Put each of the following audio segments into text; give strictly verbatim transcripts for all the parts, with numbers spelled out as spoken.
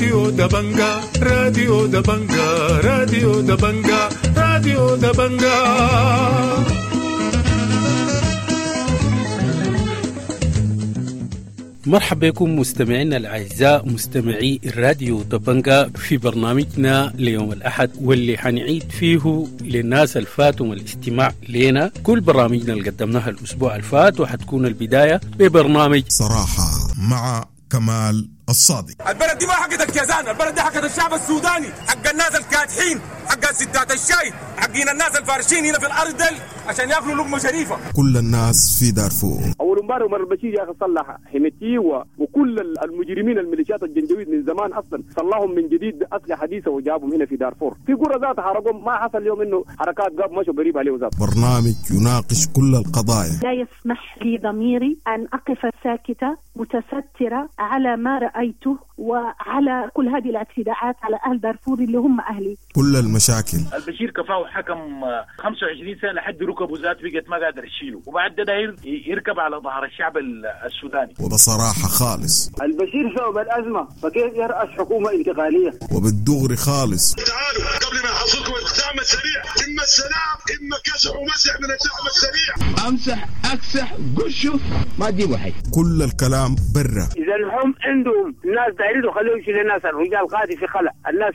راديو دبنجا، راديو دبنجا، راديو دبنجا، راديو دبنجا. مرحبا بكم مستمعينا الأعزاء مستمعي الراديو دبنجا في برنامجنا ليوم الأحد، واللي حنعيد فيه للناس الفاتهم الاستماع لنا كل برامجنا اللي قدمناها الأسبوع الفات، وحتكون البداية ببرنامج صراحة مع كمال الصادق. البلد دي ما حقت الكيزان، البلد دي حقت الشعب السوداني، حق الناس الكادحين، حق ستات الشاي، حقين الناس الفارشين هنا في الأرض دل عشان ياكلوا لقمة شريفة. كل الناس في دارفور. أول امبارح عمر البشير يا أخي صلح حميتي وكل المجرمين الميليشيات الجنجويد من زمان أصلا صلحهم من جديد بأسلحة حديثة وجابهم هنا في دارفور. في قرى ذات حرقهم، ما حصل اليوم إنه حركات قاب مشوا قريب عليه ذات. برنامج يناقش كل القضايا. لا يسمح لي ضميري أن أقف ساكتة متسترة على ما رأيته وعلى كل هذه الاعتداءات على أهل دارفور اللي هم أهلي. كل المشاكل. البشير كفاه حكم خمسة وعشرين سنة لحد ركبه ذات بقت ما قادر يشيله، وبعد ده داير يركب على ظهر الشعب السوداني. وبصراحة خالص البشير سبب الأزمة، فكيف يرأس حكومة انتقالية؟ وبالدغري خالص. تعالوا قبل ما يحصلكم الدعم السريع، إما السلام إما كسح ومسح من الدعم السريع. أمسح أكسح قشه ما تجيبوا حي. كل الكلام برا. إذا هم عندهم ناس دايرين خليهم يشيلوا الناس، الرجال قاعد في خلع، الناس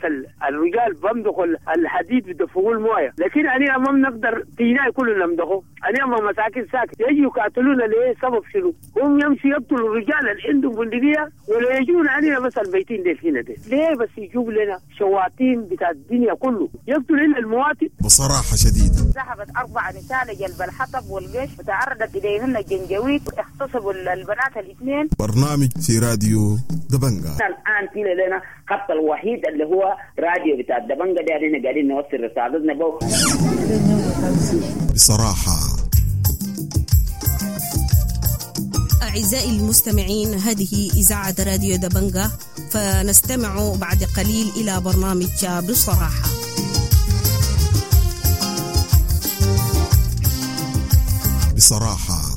الرجال بمدخوا الحديد بدفقوا المويه، لكن أنا ما بنقدر تينا كلنا نمدخه، أنا ما مساكن ساكت يجوا يقاتلونا ليه؟ سبب شنو؟ هم يمشي يقتلوا الرجال اللي عندهم بندقية ولا يجون علينا بس البيتين دي هنا دي، ليه بس يجيب لنا شواطين بتاع الدنيا كله يقتل لنا المواطن؟ بصراحة شديدة. ذهبت أربع نساء لجلب الحطب والجيش وتعرضت إليهن الجنجويد واغتصبوا البنات الاثنين. برنامج في راديو دبنجا. الآن في لنا خط الوحيد اللي هو راديو بتاع دبنجا ده، احنا قاعدين نوصل رسالتنا بو. بصراحة أعزائي المستمعين، هذه إذاعة راديو دبنجا، فنستمع بعد قليل إلى برنامج بصراحة. بصراحة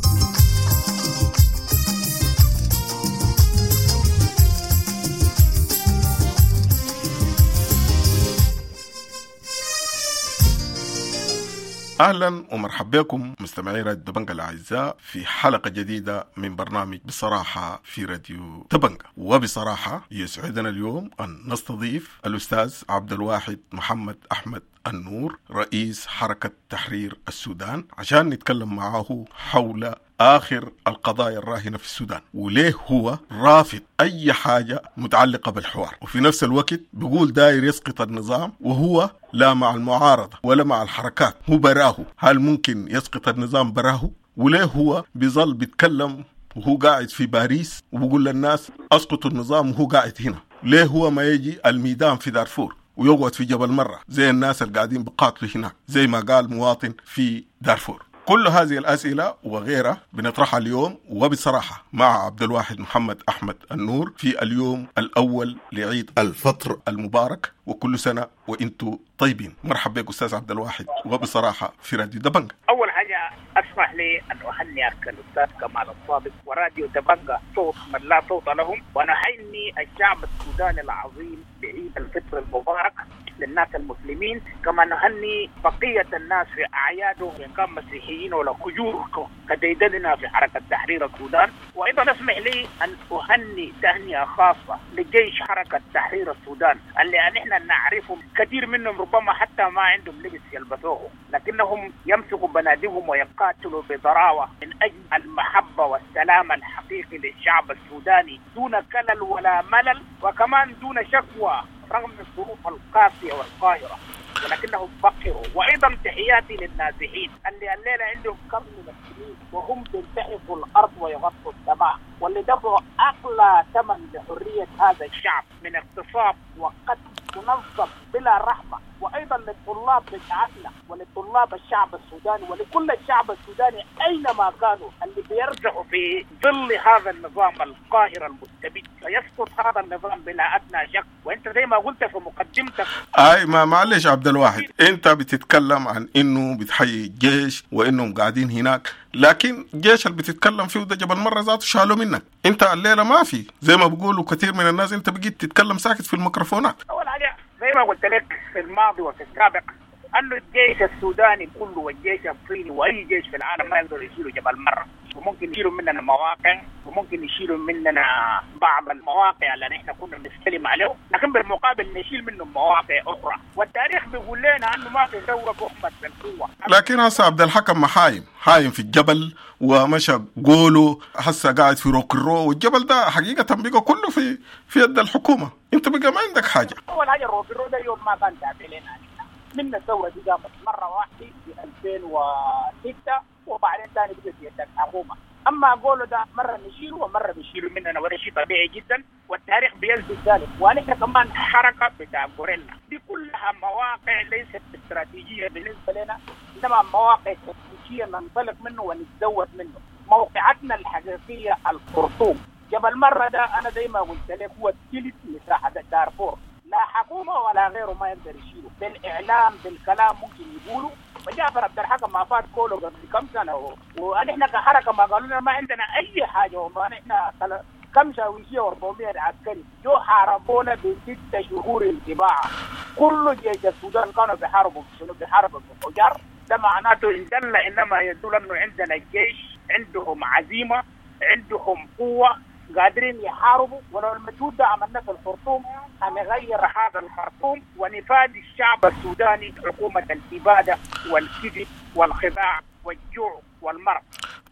أهلا ومرحبا بكم مستمعي راديو دبنجا الأعزاء في حلقة جديدة من برنامج بصراحة في راديو دبنجا. وبصراحة يسعدنا اليوم أن نستضيف الأستاذ عبد الواحد محمد أحمد النور، رئيس حركة تحرير السودان، عشان نتكلم معه حول آخر القضايا الراهنة في السودان، وليه هو رافض أي حاجة متعلقة بالحوار، وفي نفس الوقت بيقول داير يسقط النظام وهو لا مع المعارضة ولا مع الحركات، هو براه. هل ممكن يسقط النظام براه؟ وليه هو بيظل بيتكلم وهو قاعد في باريس وبيقول للناس أسقطوا النظام وهو قاعد هنا؟ ليه هو ما يجي الميدان في دارفور ويقعد في جبل مرة زي الناس اللي قاعدين بقاتلوا هناك زي ما قال مواطن في دارفور؟ كل هذه الأسئلة وغيرها بنطرحها اليوم وبصراحة مع عبد الواحد محمد أحمد النور في اليوم الأول لعيد الفطر المبارك، وكل سنة وإنتم طيبين. مرحبا بك أستاذ عبد الواحد وبصراحة في راديو دبنجا. أول حاجة أسمح لي أن أهنئك الأستاذ كمال الصادق وراديو دبنجا صوت من لا صوت لهم، ونهني الشعب السوداني العظيم بعيد الفطر المبارك للناس المسلمين، كما نهني بقية الناس في أعيادهم إن كان مسيحيين ولا كجور كديدننا في حركة تحرير السودان. وأيضا اسمح لي أن أهني تهنئة خاصة لجيش حركة تحرير السودان اللي نحن نعرفهم كثير منهم ربما حتى ما عندهم لبس يلبسوه، لكنهم يمسكوا بنادقهم ويقاتلوا بضراوة من أجل المحبة والسلام الحقيقي للشعب السوداني دون كلل ولا ملل، وكمان دون شكوى رغم الظروف القاسية والقاهرة، ولكنهم فقروا. وأيضا تحياتي للنازحين اللي الليلة عندهم كم من السنين وهم بيلتحفوا الأرض ويغطوا السماء، واللي دفعوا أغلى ثمن لحرية هذا الشعب من اغتصاب وقتل منظم بلا رحمه. وايضا للطلاب بتاعتنا وللطلاب الشعب السوداني ولكل الشعب السوداني اينما كانوا اللي بيرجعوا في ظل هذا النظام القاهر المستبد، سيسقط هذا النظام بلا ادنى شك. وانت زي ما قلت في مقدمتك اي ما معلش عبد الواحد، انت بتتكلم عن انه بتحيي الجيش وانهم قاعدين هناك، لكن الجيش اللي بتتكلم فيه ده جبل مرة ذاته شالوا منك انت الليلة ما في، زي ما بيقولوا كثير من الناس انت بقيت تتكلم ساكت في الميكروفونات. اول حاجة زي ما قلت لك في الماضي وفي السابق انه الجيش السوداني كله والجيش الصيني واي جيش في العالم ما يقدروا يشيلوا جبل مرة، وممكن يشيلوا مننا مواقع وممكن يشيلوا مننا بعض المواقع اللي نحن كنا بنستلم عليه، لكن بالمقابل نشيل منهم مواقع اخرى. والتاريخ بيقول لنا انه ما في ثورة تحمد بالقوة. لكن هسه عبد الحكم حايم حايم في الجبل ومشى قولوا هسه قاعد في روكرو، والجبل ده حقيقة بقى كله في في يد الحكومة، انت بقى ما عندك حاجة. اول حاجة الروكرو ده يوم ما كان تابع لنا، من الثورة دي قامت مرة واحدة في ألفين وستة وبعدين ثاني بقت في يد الحكومة. اما قولوا ده مرة نشيله ومرة بيشيلوا مننا، وده شيء طبيعي جدا والتاريخ بيثبت ذلك. ونحن كمان حركة بتاع غوريلا دي كلها مواقع ليست استراتيجية بالنسبة لنا، انما مواقع تكتيكية ننطلق منه ونتزود منه. موقعتنا الحقيقية الخرطوم. جبل مرة ده انا زي ما قلت لك هو ثلث مساحة دارفور، لا حكومة ولا غيره ما يقدر يشيله بالاعلام بالكلام ممكن يقولوا. وجعفر عبد الحكم ما فات كله قبل كم سنة، ونحن كحركه ما قالوا لنا ما عندنا اي حاجة، وما نحن كم شاويشيه وأربعمية عسكري جو حاربونا بست شهور انتباع. كل جيش السودان كانوا بيحاربوا شنو؟ بيحاربوا بالحجار. ده معناته ان دل انما يدل انه عندنا الجيش عندهم عزيمة، عندهم قوة، قادرين يحاربوا. ولو المجهود ده عملناه في الخرطوم هنغير هذا الخرطوم ونفادي الشعب السوداني حكومة الإبادة والكذب والخداع والجوع والمرض.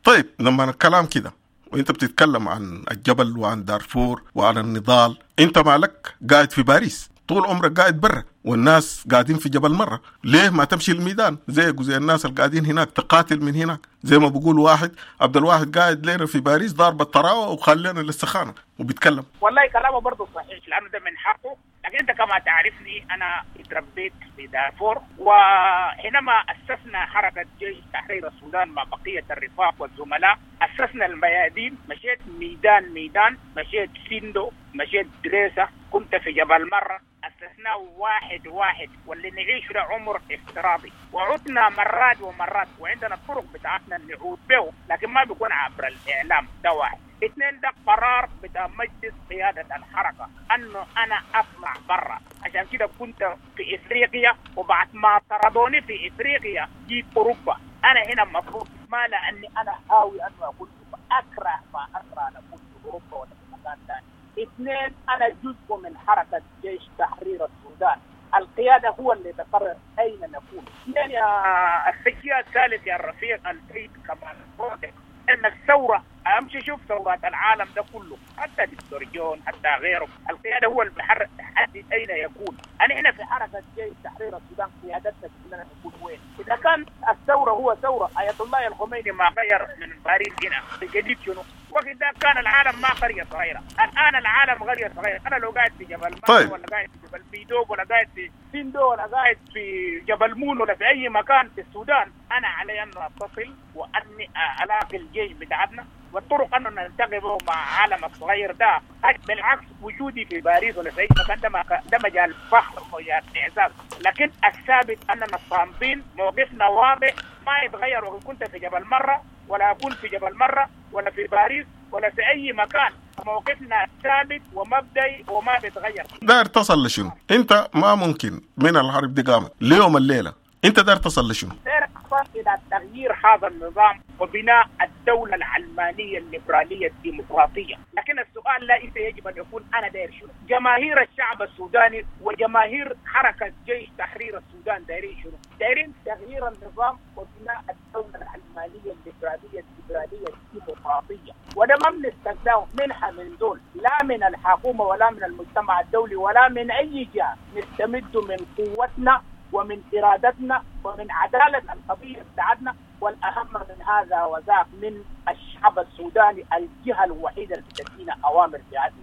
طيب لما الكلام كده وانت بتتكلم عن الجبل وعن دارفور وعن النضال، انت مالك قاعد في باريس طول عمرك قاعد برا والناس قاعدين في جبل مرة، ليه ما تمشي الميدان زيك وزي الناس اللي قاعدين هناك تقاتل من هناك؟ زي ما بقول واحد عبد الواحد قاعد لنا في باريس ضارب الطراوة وخلينا للسخانة وبيتكلم. والله كلامه برضه صحيح لأنه ده من حقه، لكن أنت كما تعرفني أنا اتربيت في دارفور، وحينما أسسنا حركة جيش تحرير السودان مع بقية الرفاق والزملاء أسسنا الميادين، مشيت ميدان ميدان، مشيت سندو، مشيت دريسة، كنت في جبل مرة، أسسناه واحد واحد، واللي نعيش له عمر افتراضي، وعدنا مرات ومرات، وعندنا الطرق بتاعتنا نعود به، لكن ما بيكون عبر الإعلام. ده واحد. اثنين، ده قرار بتاع مجلس قيادة الحركة أنه أنا أطلع برا، عشان كده كنت في إفريقيا، وبعد ما طردوني في إفريقيا جيت أوروبا. أنا هنا المفروض ما لأني أنا هاوي أنه أكون أكره ما أكره أن أكون في أوروبا ولا في مكان ثاني. اثنين، أنا جزء من حركة جيش تحرير السودان، القيادة هو اللي تقرر أين نكون. اثنين، يا السجية الثالث يا الرفيق السيد كمال الصادق، أن الثورة أمشي شوف ثورات العالم ده كله، حتى دكتور جون حتى غيره، القيادة هو اللي بيحدد أين يكون. أنا هنا في حركة جيش تحرير السودان قيادتنا كلنا نكون وين؟ إذا كان الثورة هو ثورة آية الله الخميني ما غير من باريس هنا الجديد شنو؟ وقت ده كان العالم ما قرية صغيرة، الآن العالم قرية صغيرة. أنا لو قاعد في جبل طيب. ولا قاعد في جبل ميدوب ولا قاعد في سندو ولا قاعد في جبل مون ولا في أي مكان في السودان، أنا علي أن أتصل وأني ألاقي الجيش بتاعتنا والطرق أنه نلتقي به مع عالم الصغير ده. بالعكس وجودي في باريس ولا في أي مكان ده ده مجال فخر ومجال إعزاز، لكن الثابت أننا صامدين، موقفنا واضح ما يتغير. وإن كنت في جبل مرة ولا أكون في جبل مرة ولا في باريس ولا في أي مكان، موقفنا ثابت ومبدئي وما بيتغير. داير تصل لشنو؟ أنت ما ممكن من الحرب دي قامت ليوم الليلة، أنت داير تصل لشنو؟ داير تصل إلى تغيير هذا النظام وبناء الدولة العلمانية الليبرالية الديمقراطية. لكن السؤال لا إنت يجب أن يكون أنا داير شنو؟ جماهير الشعب السوداني وجماهير حركة جيش تحرير السودان دايرين شنو؟ دايرين تغيير النظام وبناء الدولة العلمانية الليبرالية الليبرالية الديمقراطية، وده ما بنستناه منها من دول، لا من الحكومة ولا من المجتمع الدولي ولا من أي جهة. نستمد من قوتنا ومن إرادتنا ومن عدالة القضية بتاعتنا، والأهم من هذا وذاك من الشعب السوداني، الجهة الوحيدة اللي بتدينا أوامر في هذه.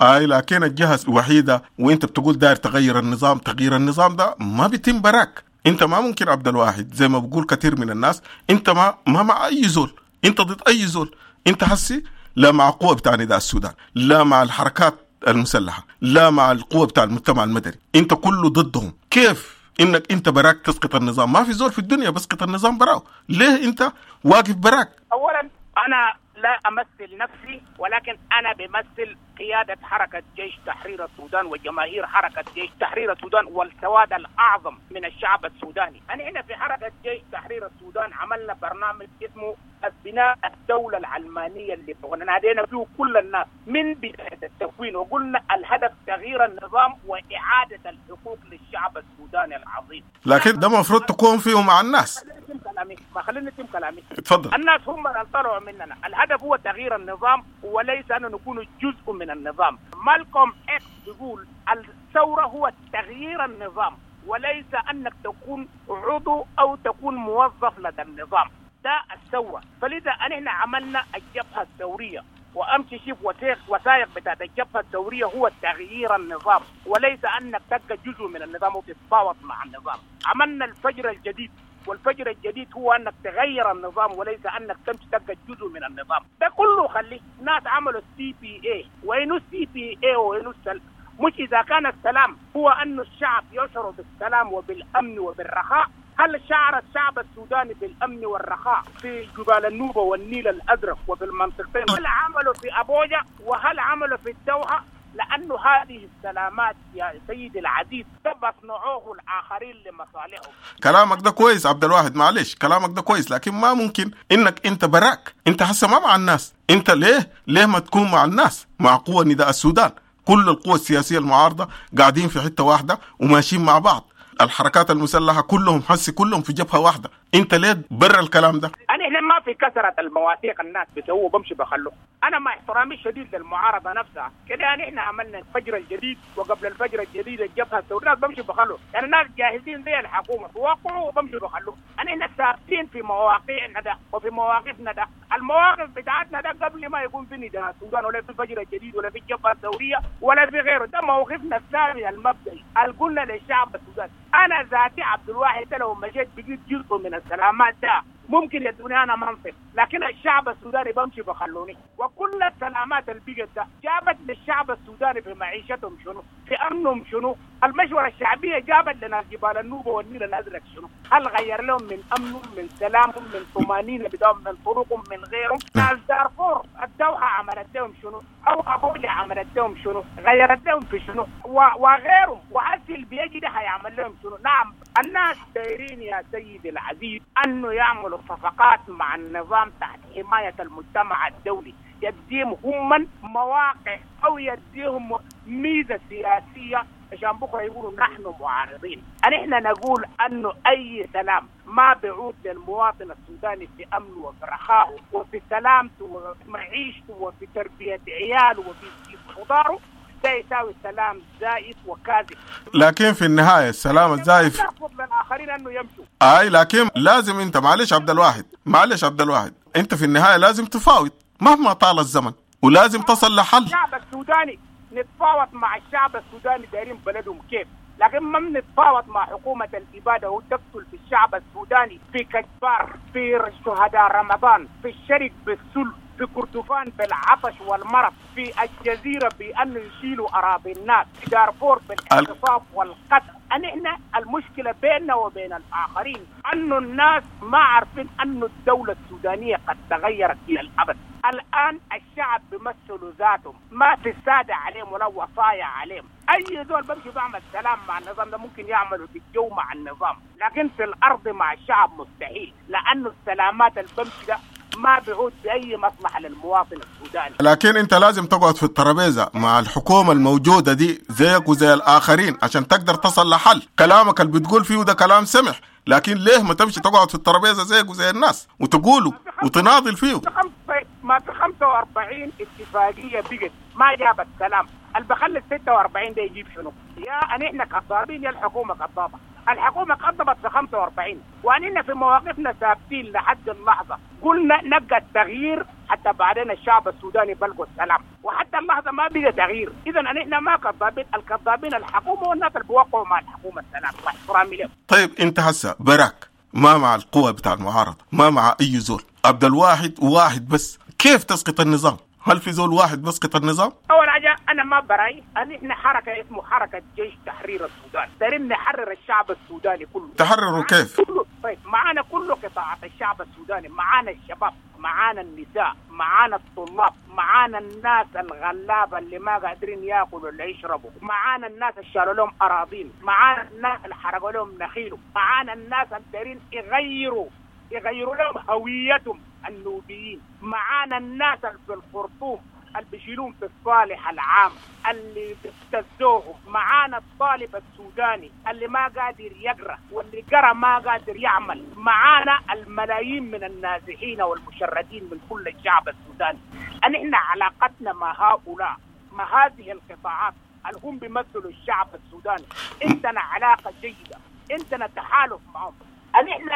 اي لكن الجهة الوحيدة، وانت بتقول داير تغير النظام، تغيير النظام ده ما بيتم براك. انت ما ممكن عبد الواحد زي ما بقول كثير من الناس، انت ما ما مع اي زول، انت ضد اي زول. انت حسي لا مع قوة بتاع نداء السودان، لا مع الحركات المسلحة، لا مع القوة بتاع المجتمع المدني، انت كله ضدهم. كيف انك انت براك تسقط النظام؟ ما في زول في الدنيا بسقط النظام براو. ليه انت واقف براك؟ اولا انا لا امثل نفسي، ولكن انا بمثل قيادة حركة جيش تحرير السودان وجماهير حركة جيش تحرير السودان والسواد الأعظم من الشعب السوداني. أنا هنا في حركة جيش تحرير السودان عملنا برنامج اسمه بناء الدولة العلمانية اللي نادينا فيه كل الناس من بداية التكوين، وقلنا الهدف تغيير النظام وإعادة الحقوق للشعب السوداني العظيم. لكن ده المفروض تكون فيه مع الناس. ما خليني اتم كلامي. اتفضل. الناس هم اللي طلعوا مننا، الهدف هو تغيير النظام وليس أن نكون جزء من النظام. مالكوم إكس بيقول الثورة هو تغيير النظام وليس أنك تكون عضو أو تكون موظف لدى النظام. ده الثورة. فلذا نحن عملنا الجبهة الثورية، وأمشي شوف وثائق وثائق بتاعت الجبهة الثورية هو تغيير النظام وليس أنك تبقى جزء من النظام وتتفاوض مع النظام. عملنا الفجر الجديد، والفجر الجديد هو أنك تغير النظام وليس أنك تمشي تبقى جزء من النظام. ده كله خليه ناس عملوا السي بي اي. وينو السي بي اي وينو السلام؟ مش إذا كان السلام هو أن الشعب يشعر بالسلام وبالأمن وبالرخاء. هل شعر الشعب السوداني بالأمن والرخاء في جبال النوبة والنيل الأزرق وفي المنطقتين؟ هل عملوا في أبوجا وهل عملوا في الدوحة؟ لأنه هذه السلامات يا سيدي العزيز بصنعوه الآخرين لمصالحهم. كلامك ده كويس عبد الواحد، معلش كلامك ده كويس، لكن ما ممكن إنك أنت براك، أنت حسه ما مع الناس. أنت ليه ليه ما تكون مع الناس، مع قوة نداء السودان؟ كل القوى السياسية المعارضة قاعدين في حتة واحدة وماشيين مع بعض، الحركات المسلحة كلهم حسي كلهم في جبهة واحدة. انت ليه برا الكلام ده؟ انا هنا ما في كثرة المواثيق الناس بيسووا بمشي بخلوه. انا مع احترامي الشديد للمعارضة نفسها كده، يعني احنا عملنا الفجر الجديد وقبل الفجر الجديد الجبهة الثورية، الناس بمشي بخلوه. يعني الناس جاهزين زي الحكومة بوقعوا وبمشي بخلوه. انا هنا ثابتين في مواقعنا ده وفي مواقفنا ده. المواقف بتاعتنا ده قبل ما يكون في نداء السودان ولا في الفجر الجديد ولا في الجبهة الثورية ولا في غيره، ده موقفنا الثابت المبدئي اللي قلنا للشعب السوداني. انا ذاتي عبد الواحد لو مشيت بقيت جزء من السلامات ده ممكن يدوني انا منصب، لكن الشعب السوداني بمشي بخلوني. وكل السلامات اللي بقت ده جابت للشعب السوداني في معيشتهم شنو؟ في امنهم شنو؟ المشورة الشعبية جابت لنا جبال النوبة والنيل الازرق شنو؟ هل غير لهم من امنهم من سلامهم من طمانينة بدهم من طرقهم من غيرهم؟ ناس دارفور الدوحة عملت لهم شنو؟ او ابوجا عملت لهم شنو؟ غيرت لهم في شنو؟ وغيرهم. وهسي اللي بيجي ده هيعمل لهم شنو؟ نعم الناس دايرين يا سيدي العزيز انه يعملوا صفقات مع النظام تحت حماية المجتمع الدولي، يديهم هم مواقع او يديهم ميزة سياسية عشان بكره يقولوا نحن معارضين. نحن نقول انه اي سلام ما بيعود للمواطن السوداني في امنه وفي رخائه وفي سلامته وفي معيشته وفي تربيه عياله وفي خضاره، ده يساوي سلام زائف وكاذب. لكن في النهاية السلام الزائف نرفض للاخرين انه يمشوا. اي لكن لازم انت معلش عبد الواحد، معلش عبد الواحد، انت في النهاية لازم تفاوض مهما طال الزمن ولازم تصل لحل. الشعب السوداني نتفاوض مع الشعب السوداني دايرين بلدهم كيف، لكن ما بنتفاوض مع حكومة الإبادة وتقتل في الشعب السوداني في كجبار، في شهداء رمضان، في الشرق بالسل، في كردفان بالعطش والمرض، في الجزيرة بأن يشيلوا أراضي الناس، في دارفور بالاغتصاب والقتل. نحن المشكلة بيننا وبين الآخرين أن الناس ما عارفين أن الدولة السودانية قد تغيرت إلى الأبد. الآن الشعب بيمثلوا ذاتهم، ما في السادة عليهم ولا وصايا عليهم. أي زول بمشي بعمل سلام مع النظام ده ممكن يعملوا في الجو مع النظام، لكن في الأرض مع الشعب مستحيل، لأنه السلامات اللي بمشي ده ما بيعود بأي مصلحة للمواطن السوداني. لكن أنت لازم تقعد في الترابيزة مع الحكومة الموجودة دي زيك وزي الآخرين عشان تقدر تصل لحل. كلامك اللي بتقول فيه ده كلام سمح، لكن ليه ما تمشي تقعد في الترابيزة زيك وزي الناس وتقوله وتناضل فيه؟ ما في خمسة وأربعين اتفاقية بقت ما جابت سلام، اللي بخلي ستة وأربعين ده يجيب شنو؟ يا أن إحنا كذابين يا الحكومة كذابة. الحكومة كذبت في خمسة وأربعين، واننا في مواقفنا ثابتين لحد اللحظة. قلنا نبقى التغيير حتى بعدين الشعب السوداني بلغوا السلام، وحتى اللحظة ما بقى تغيير. اذا نحن ما كذابين، الكذابين الحكومة والناس اللي بيوقعوا مع الحكومة السلام، مع احترامي لهم. طيب انت هسه براك ما مع القوى بتاع المعارضة، ما مع اي زول، عبد الواحد واحد بس، كيف تسقط النظام؟ هل في زول واحد بسقط النظام؟ اول حاجة انا ما براي، احنا حركة اسمه حركة جيش تحرير السودان، دارين نحرر الشعب السوداني كله. تحرروا كيف؟ كله. طيب معانا كل قطاعات الشعب السوداني، معانا الشباب، معانا النساء، معانا الطلاب، معانا الناس الغلابة اللي ما قادرين ياكلوا ولا يشربوا، معانا الناس اللي شالوا لهم اراضين، معانا الناس اللي حرقوا لهم نخيلهم، معانا الناس اللي دارين يغيروا يغيروا لهم هويتهم النوبيين، معانا الناس اللي في الخرطوم اللي بيشيلون في الصالح العام اللي بيبتزوهم، معانا الطالب السوداني اللي ما قادر يقرأ واللي قرأ ما قادر يعمل، معانا الملايين من النازحين والمشردين من كل الشعب السوداني. نحن علاقتنا مع هؤلاء، مع هذه القطاعات اللي هم بيمثلوا الشعب السوداني، عندنا علاقة جيدة، عندنا تحالف معهم. نحن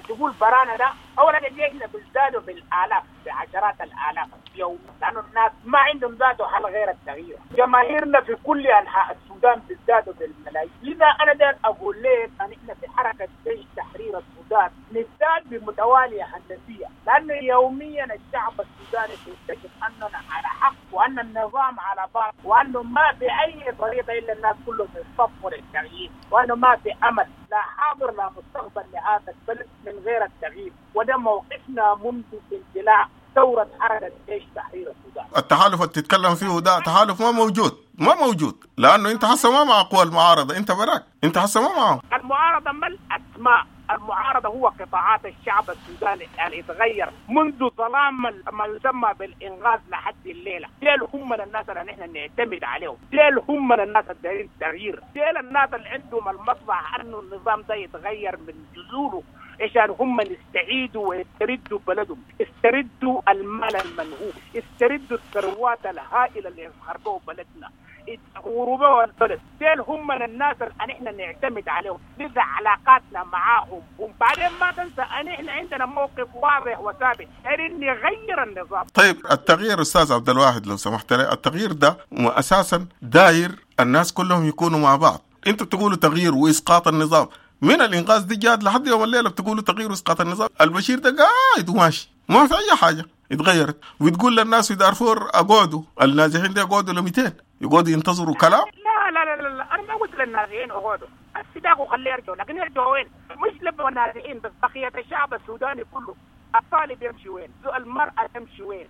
تقول برانا ده اولا احنا بنزدادوا بالالاف، بعشرات الالاف يوم، لانه الناس ما عندهم ذاته حل غير التغيير. جماهيرنا في كل انحاء السودان بيزدادوا بالملايين. لذا انا داير اقول لك ان احنا في حركة جيش تحرير السودان نزداد بمتواليه هندسية، لانه يوميا الشعب السوداني بيكتشف اننا على حق وان النظام على باطل، وانه ما في اي طريقه الا الناس كلهم يصفوا للتغيير، وانه ما في امل لا حاضر لا مستقبل لهذا البلد من غير التغيير. وده موقفنا منذ اندلاع ثورة حركة جيش تحرير السودان. التحالف اللي تتكلم فيه ده تحالف ما موجود، ما موجود، لأنه أنت حسه ما مع قوى المعارضة، أنت براك، أنت حسه ما معهم. المعارضة ما الأسماء، المعارضة هو قطاعات الشعب السوداني اللي اتغير منذ ظلام ما يسمى بالإنغاز لحد الليلة. ديل هم من الناس اللي نحن نعتمد عليهم، ديل هم من الناس اللي دايرين تغيير، ديل الناس اللي عندهم المصلحة أنه النظام ده يتغير من جذوره عشان هم يستعيدوا ويستردوا بلدهم، يستردوا المال المنهوب، يستردوا الثروات الهائلة اللي خربوا بلدنا، غروبوا البلد. ديل هم من الناس اللي احنا نعتمد عليهم، لذا علاقاتنا معاهم. وبعدين ما تنسى ان احنا عندنا موقف واضح وثابت ان نغير النظام. طيب التغيير استاذ عبد الواحد لو سمحت لي، التغيير ده اساسا داير الناس كلهم يكونوا مع بعض. انتوا بتقولوا تغيير واسقاط النظام، من الانقاذ دي جات لحد يوم الليلة بتقولوا تغيير واسقاط النظام، البشير ده قاعد وماشي ما في اي حاجة اتغيرت، وتقول للناس في دارفور اقعدوا، النازحين دي اقعدوا ل مئتين يقعدوا ينتظروا كلام. لا لا لا لا, لا. انا ما قلت للنازحين اقعدوا، السداق وخليه يرجعوا، لكن يرجعوا وين؟ مش لبوا النازحين بس، بقية الشعب السوداني كله، الطالب يمشي وين؟ المرأة تمشي وين؟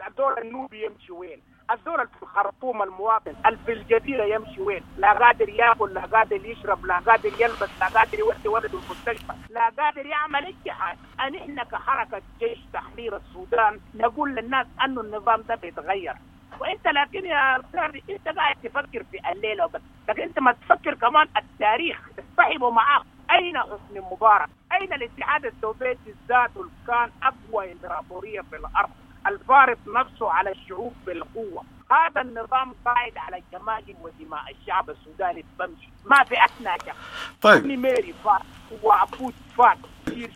الدور النوبي يمشي وين؟ الزول في الخرطوم المواطن في الجزيرة يمشي وين؟ لا قادر ياكل، لا قادر يشرب، لا قادر يلبس، لا قادر يودي ولده المستشفى، لا قادر يعمل اي حاجة. نحن كحركة جيش تحرير السودان نقول للناس انه النظام ده بيتغير. وانت لكن يا استاذ انت قاعد تفكر في الليلة وبس، لكن انت ما تفكر كمان التاريخ، اصطحبه معاك. اين حسني مبارك؟ اين الاتحاد السوفيتي ذاته اللي كان اقوى امبراطورية في الارض، الفارض نفسه على الشعوب بالقوة؟ هذا النظام قاعد على جماجم ودماء الشعب السوداني بمشي، ما في أثناء شك. طيب ميري فات وعبود فات،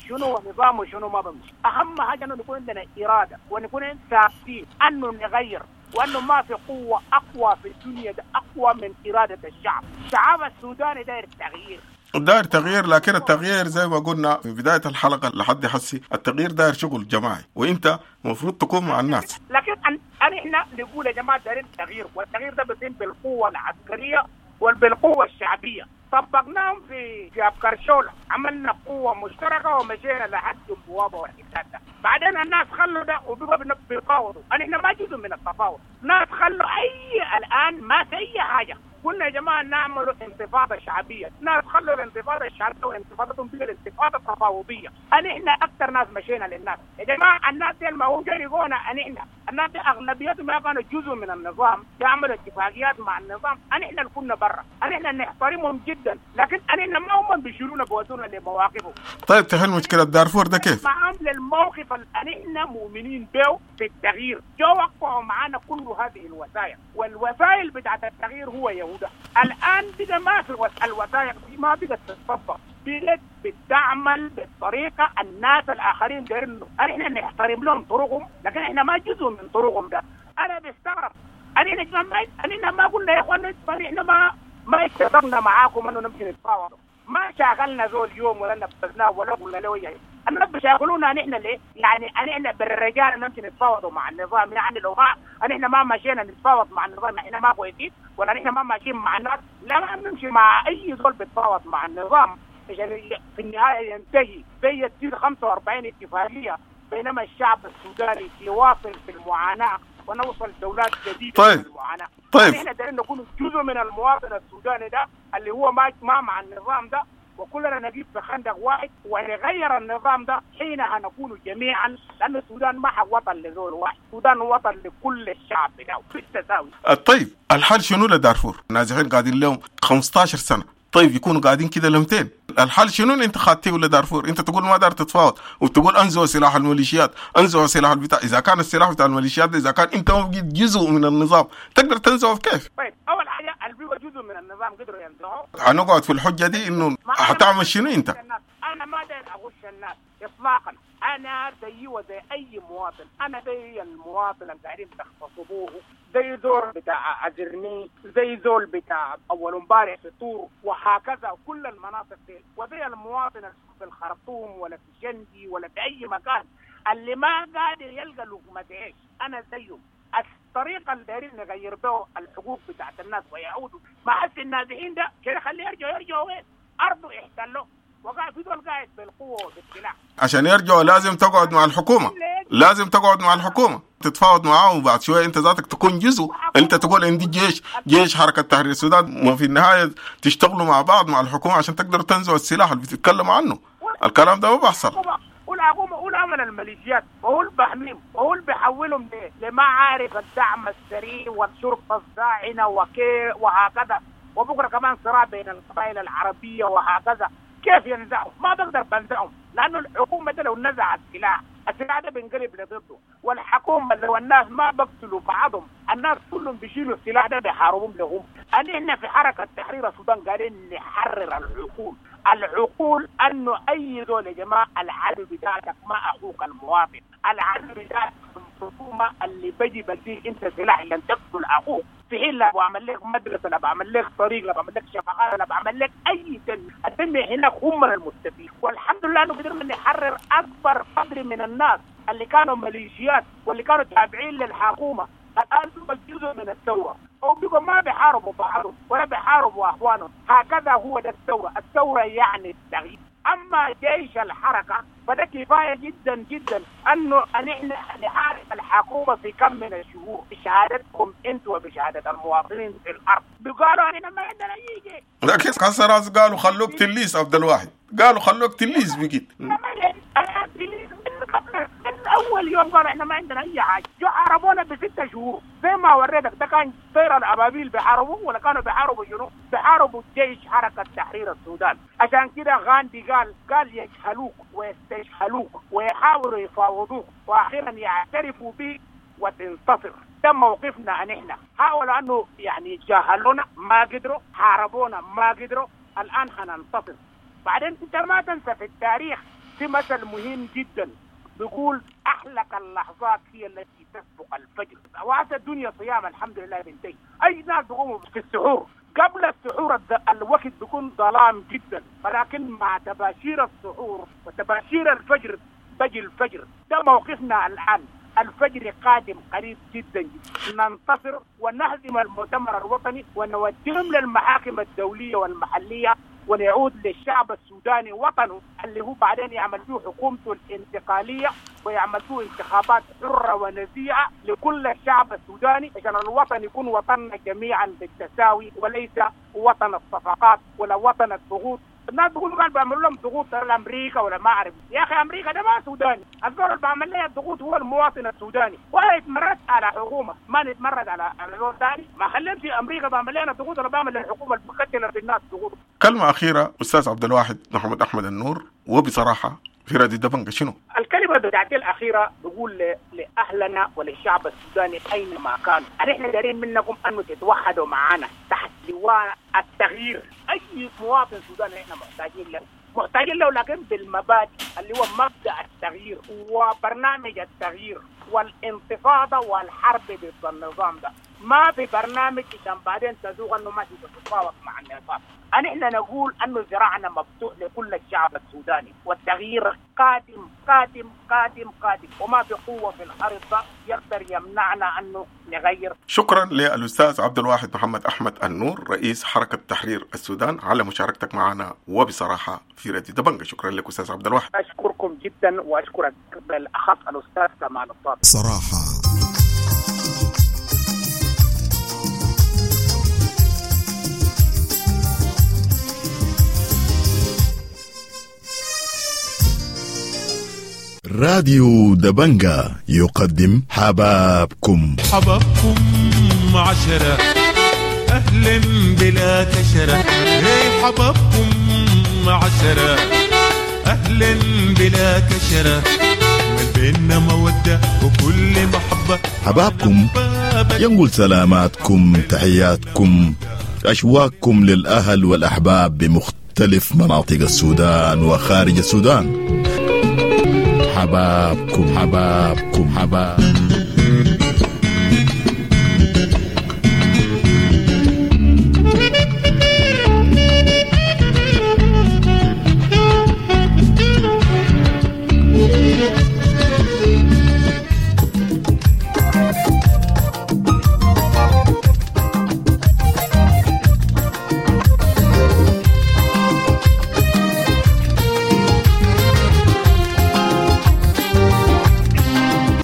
شنو نظامه شنو ما بمشي. أهم حاجة أنه نكون عندنا إرادة ونكون ثابتين أنه نغير، وأنه ما في قوة أقوى في الدنيا ده أقوى من إرادة الشعب. الشعب السوداني داير تغيير، داير تغيير، لكن التغيير زي ما قلنا في بداية الحلقة لحد حسي التغيير داير شغل جماعي، وانت المفروض تكون مع الناس. لكن أن احنا نقول يا جماعة دايرين تغيير، والتغيير ده بيتم بالقوة العسكرية وبالقوة الشعبية. طبقناهم في في أبكرشولة، عملنا قوة مشتركة ومشينا لحد البوابة والحساب ده. بعدين الناس خلوا ده وبقوا بيفاوضوا، احنا ما جزء من التفاوض، ناس خلوا أي الآن ما في أي حاجة. قلنا يا جماعة نعمل انتفاضة شعبية، ناس خلوا الانتفاضة الشعبية وانتفاضتهم بقى الانتفاضة التفاوضية. احنا أكثر ناس مشينا للناس يا جماعة، الناس دي ما هم جريقونا، احنا الناس دي اغلبيتهم ما كانوا جزء من النظام، يعملوا اتفاقيات مع النظام، نحن اللي كنا برا، نحن نحترمهم جدا، لكن نحن ما هم بيشيلونا بودونا لمواقفهم. طيب تحل مشكلة دارفور ده كيف؟ معهم للموقف اللي نحن مؤمنين به في التغيير، جو وقعوا معنا كل هذه الوثائق، والوسائل بتاعت التغيير هو يهودا. الان بقى ما في الوثائق دي ما بقت تتطبق، بقت بتعمل بالطريقة الناس الاخرين دايرين احنا نحترم لهم طرقهم، لكن احنا ما جزء من طرقهم ده. انا بستغرب، انا ما انا ما قلنا يا اخوان احنا ما ما اتفقنا معاكم انه نمشي نتفاوض، ما شاغلنا زول يوم ولا نفذناه ولا قلنا له ايه. الناس بيشاغلونا نحن ليه؟ يعني نحن بالرجال نمشي نتفاوض مع النظام، يعني لو ما نحن ما مشينا نتفاوض مع النظام احنا ما كويسين، ولا نحن ما ماشيين مع الناس، لا ما بنمشي مع اي زول بيتفاوض مع النظام عشان في النهاية ينتهي زي تصير خمسة وأربعين اتفاقية، بينما الشعب السوداني يواصل في المعاناة ونوصل دولات جديدة. طيب. في المعاناة. طيب احنا دايرين نكون جزء من المواطن السوداني ده اللي هو ما ما مع النظام ده، وكلنا نجيب في خندق واحد ونغير النظام ده، حينها نكون جميعا، لأن السودان ما وطن لزول واحد، السودان وطن لكل الشعب بتاعه بالتساوي. طيب الحل شنو لدارفور؟ النازحين قاعدين لهم خمستاشر سنة، طيب يكونوا قاعدين كده لمتين؟ الحل شنو اللي انت خدتيه لدارفور؟ انت تقول ما دار تتفاوض وتقول انزعوا سلاح الميليشيات، انزعوا سلاح البتاع، اذا كان السلاح بتاع الميليشيات ده اذا كان انت ما بقيت جزء من النظام تقدر تنزعه كيف؟ طيب اول حاجة اللي بيبقى جزء من النظام قدروا ينزعوه. هنقعد في الحجة دي انه هتعمل شنو انت؟ انا ما داير اغش الناس اطلاقا، انا زيي وزي اي مواطن، انا زي المواطن اللي قاعدين تغتصبوه، زي زول بتاع ازرني، زي زول بتاع اول امبارح في طور، وهكذا كل المناطق دي، وزي المواطن في الخرطوم ولا في جندي ولا في اي مكان اللي ما قادر يلقى لقمة عيش، انا زيه. الطريقة اللي دايرين نغير بها الحقوق بتاعت الناس ويعودوا مع النازحين ده كده، خليه يرجعوا، يرجعوا وين؟ ارضه احتلوه، وقع في دول قاعد بالقوة وبالسلاح. عشان يرجعوا لازم تقعد مع الحكومة، لازم تقعد مع الحكومة تتفاوض معاهم، وبعد شوية انت ذاتك تكون جزء، انت تقول عندي جيش، جيش حركة تحرير السودان، وفي النهاية تشتغلوا مع بعض مع الحكومة عشان تقدروا تنزعوا السلاح اللي بتتكلم عنه. الكلام ده ما بيحصل. والحكومة قول عمل الميليشيات، وهو بحميهم، وهو بيحولهم لما عارف الدعم السريع والشرطة الزاعنه وكي وهكذا، وبكره كمان صراع بين القبائل العربية وهكذا. كيف ينزعهم؟ ما بقدر بنزعهم، لانه الحكومة ده لو نزعت السلاح، السلاح ده بينقلب لضده، والحكومة لو الناس ما بقتلوا بعضهم، الناس كلهم بيشيلوا السلاح ده بيحاربهم لهم. احنا في حركة تحرير السودان قاعدين نحرر العقول، العقول انه اي زول يا جماعة العدو بتاعتك ما اخوك المواطن، العدو بتاعتك الحكومة اللي بجي بديك انت سلاح عشان تقتل اخوك، في حين لا بعمل لك مدرسه، لا بعمل لك طريق، لا بعمل لك شفقات، لا بعمل لك اي تنمية، التنمية هناك هم المستفيد. والحمد لله انه قدرنا نحرر اكبر قدر من الناس اللي كانوا ميليشيات واللي كانوا تابعين للحكومة، الان بقوا جزء من الثورة، او بقوا ما بيحاربوا بعضهم ولا بيحاربوا اخوانهم. هكذا هو ده الثورة، الثورة يعني التغيير. اما جيش الحركة فده كفاية جدا جدا انه نحن نحارب الحكومة في كم من الشهور بشهادتكم انتم وبشهاده المواطنين في الارض. بيقالوا احنا ما عندنا اي جيش، لكن كسر راس قالوا خلوك تليس عبد الواحد، قالوا خلوك تليس بقيت من اول يوم قالوا احنا ما عندنا اي حاجة، جو حاربونا بستة شهور زي ما وريتك. ده كان طير الابابيل بيحاربوا ولا كانوا بيحاربوا شنو؟ بيحاربوا جيش حركة تحرير السودان. عشان كده غاندي قال قال يجهلوك ويستجهلوك ويحاولوا يفاوضوك واخيرا يعترفوا بك وتنتصر. ده موقفنا نحن، حاولوا انه يعني يتجاهلونا ما قدروا، حاربونا ما قدروا، الان حننتصر. بعدين انت ما تنسى في التاريخ في مثل مهم جدا بيقول أحلك اللحظات هي التي تسبق الفجر. وقت الدنيا صيام الحمد لله بنتهي، أي ناس بيقوموا في السحور، قبل السحور الوقت بيكون ظلام جدا، ولكن مع تباشير السحور وتباشير الفجر بجي الفجر. ده موقفنا الآن، الفجر قادم قريب جدا جدا، ننتصر ونهزم المؤتمر الوطني ونوجههم للمحاكم الدولية والمحلية، ونعود للشعب السوداني وطنه اللي هو بعدين يعمل فيه حكومته الانتقالية ويعمل فيه انتخابات حرة ونزيهة لكل الشعب السوداني، عشان الوطن يكون وطننا جميعا بالتساوي، وليس وطن الصفقات ولا وطن الضغوط الناس بيقولوا قال بيعملوا لهم ضغوط ترى امريكا ولا ما اعرف. يا اخي امريكا ده ما سوداني، الزول اللي بعمل لها الضغوط هو المواطن السوداني، ولا يتمرد على حكومه، ما نتمرد على على زول ثاني. ما خلينا في امريكا بعمل لنا ضغوط ولا بعمل للحكومه اللي بتقتل في الناس ضغوط. كلمة أخيرة أستاذ عبد الواحد محمد أحمد النور، وبصراحة في راديو دبنجة شنو؟ الكلمة بتاعتي الأخيرة بقول لأهلنا وللشعب السوداني أينما كانوا، نحن دارين منكم أنه تتوحدوا معنا تحت لواء التغيير. أي مواطن سوداني نحن محتاجين له، محتاجين له لكن بالمبادئ اللي هو مبدأ التغيير وبرنامج التغيير والانتفاضة والحرب ضد النظام ده. ما في برنامج عشان بعدين تزوغ انه ما تتفاوض مع النظام. نحن نقول انه ذراعنا مفتوح لكل الشعب السوداني، والتغيير قادم قادم قادم قادم، وما في قوة في الارض يقدر يمنعنا انه نغير. شكرا للاستاذ عبد الواحد محمد احمد النور رئيس حركة تحرير السودان على مشاركتك معنا وبصراحة في راديو دبنجة. شكرا لك استاذ عبد الواحد. اشكركم جدا واشكرك بالاخص الاستاذ كمال الصادق. صراحة راديو دبنجة يقدم حبابكم. حبابكم عشرة أهلا بلا كشرة، حبابكم عشرة أهلا بلا كشرة، من بيننا مودة وكل محبة. حبابكم ينقل سلاماتكم، تحياتكم، أشواقكم للأهل والأحباب بمختلف مناطق السودان وخارج السودان. حبابكم حبابكم حباب.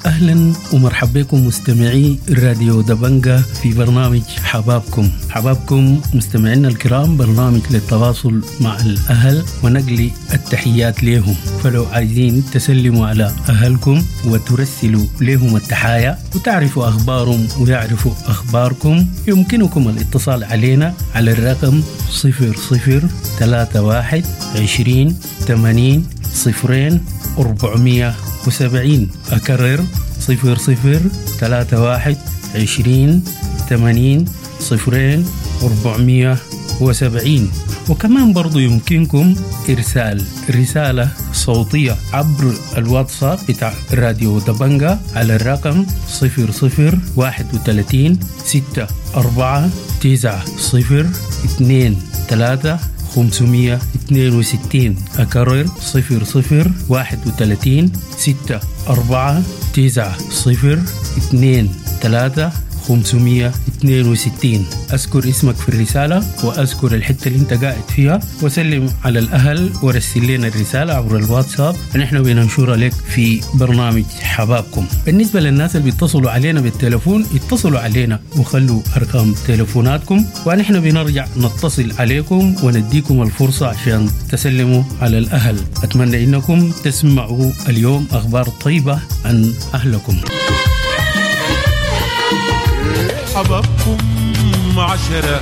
أهلا ومرحبا بكم مستمعي راديو دبنجة في برنامج حبابكم. حبابكم مستمعينا الكرام برنامج للتواصل مع الأهل ونقل التحيات لهم، فلو عايزين تسلموا على أهلكم وترسلوا لهم التحايا وتعرفوا أخبارهم ويعرفوا أخباركم، يمكنكم الاتصال علينا على الرقم صفر صفر ثلاثة واحد عشرين ثمانين صفرين أربعمية وسبعين. أكرر صفر صفر ثلاثة واحد عشرين ثمانين صفرين أربعمية وسبعين. وكمان برضو يمكنكم إرسال رسالة صوتية عبر الواتساب بتاع راديو دبنجة على الرقم صفر صفر واحد وثلاثين ستة أربعة تسعة صفر اثنين ثلاثة خمسمية اثنين وستين. أكرر صفر صفر واحد وثلاثين ستة أربعة تسعة صفر اثنين ثلاثة خمسمية اثنين وستين. أذكر اسمك في الرسالة وأذكر الحتة اللي انت قاعد فيها وسلم على الأهل ورسل لنا الرسالة عبر الواتساب، نحن بننشرها لك في برنامج حبابكم. بالنسبة للناس اللي بيتصلوا علينا بالتلفون، اتصلوا علينا وخلوا أرقام تلفوناتكم ونحن بنرجع نتصل عليكم ونديكم الفرصة عشان تسلموا على الأهل. أتمنى إنكم تسمعوا اليوم أخبار طيبة عن أهلكم. حبابكم عشرة.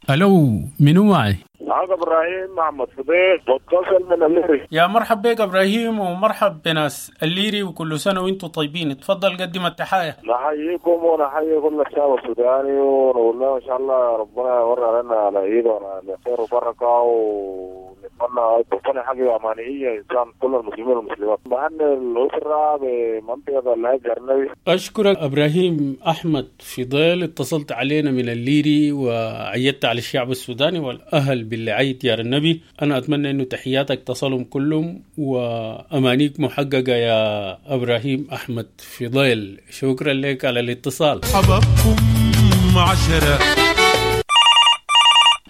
ألو، منو معي؟ معاك إبراهيم محمد فضيل، بتصل من الليري. يا مرحب بك إبراهيم ومرحب بناس الليري، وكل سنة وانتم طيبين. تفضل قدم التحايا. نحييكم ونحيي كل الشعب السوداني ونقول له إن شاء الله ربنا يوري علينا على عيد وعلى خير وبركة، ونتمنى ربنا حاجة أمانية إنسان كل المسلمين والمسلمات. بهني الأسرة بمنطقة الهجر النبي. أشكرك إبراهيم أحمد فضيل، اتصلت علينا من الليري وعيدت على الشعب السوداني والأهل بالعيد يا النبي. أنا أتمنى أنه تحياتك تصلهم كلهم وأمانيك محققة يا إبراهيم أحمد فضيل. شكرا لك على الاتصال. حبابكم عشرة.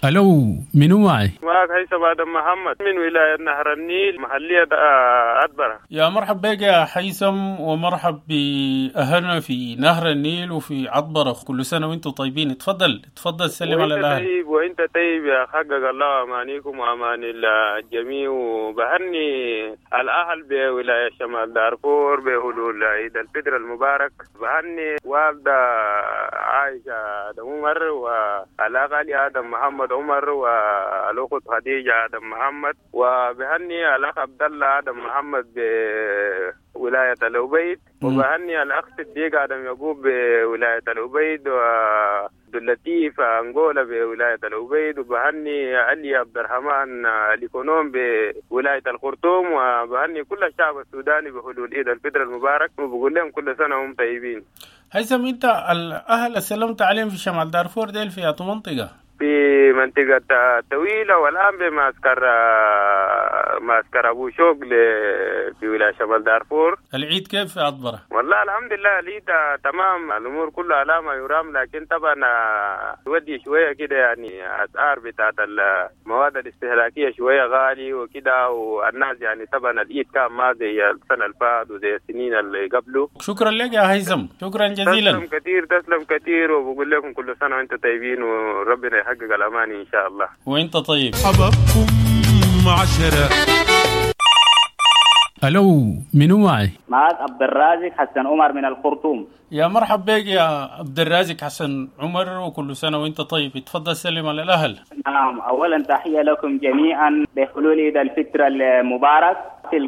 ألو، منو معي؟ معك هيثم آدم محمد من ولاية نهر النيل، محلية عطبرة. يا مرحب بك يا هيثم، ومرحب بأهلنا في نهر النيل وفي عطبرة. كل سنة وانتم طيبين. تفضل تفضل سلم على الأهل. طيب وانت طيب يا حقق الله أمانيكم وأمان الجميع. وبهني الأهل بولاية شمال دارفور بهلول عيد الفطر المبارك. بهني والدة عائشة آدم عمر والأخ علي آدم محمد عمر والأخت خديجة آدم محمد، وبهني الأخ عبد الله آدم محمد بولاية الأبيض، وبهني الأخ صديق آدم يعقوب بولاية الأبيض، وعبد اللطيف أنغولا بولاية الأبيض، وبهني علي عبد الرحمن الإيكونوم بولاية الخرطوم، وبهني كل الشعب السوداني بحلول عيد الفطر المبارك، وبقول لهم كل سنة وهم طيبين. هيثم، انت الاهل سلمت عليهم في شمال دارفور ديل في أي منطقة؟ في منطقة طويلة، والآن بمعسكر معسكر أبو شوق في ولاية شمال دارفور. العيد كيف في عطبرة؟ والله الحمد لله العيد تمام، الأمور كلها على ما يرام، لكن طبعا ودي شوية كده يعني أسعار بتاعت المواد الاستهلاكية شوية غالي وكده، والناس يعني طبعا العيد كان ما زي السنة اللي فاتت وزي السنين اللي قبله. شكرا لك يا هيثم، شكرا جزيلا. تسلم كثير تسلم كثير، وبقول لكم كل سنة وأنتم طيبين وربنا يحقق الأماني إن شاء الله. وأنت طيب. حبابكم عشرة. ألو، منو معي؟ معك عبد الرازق حسن عمر من الخرطوم. يا مرحب بك يا عبد الرازق حسن عمر، وكل سنة وانت طيب. تفضل سلم على الأهل. نعم، أولا تحية لكم جميعا بحلول عيد الفطر المبارك.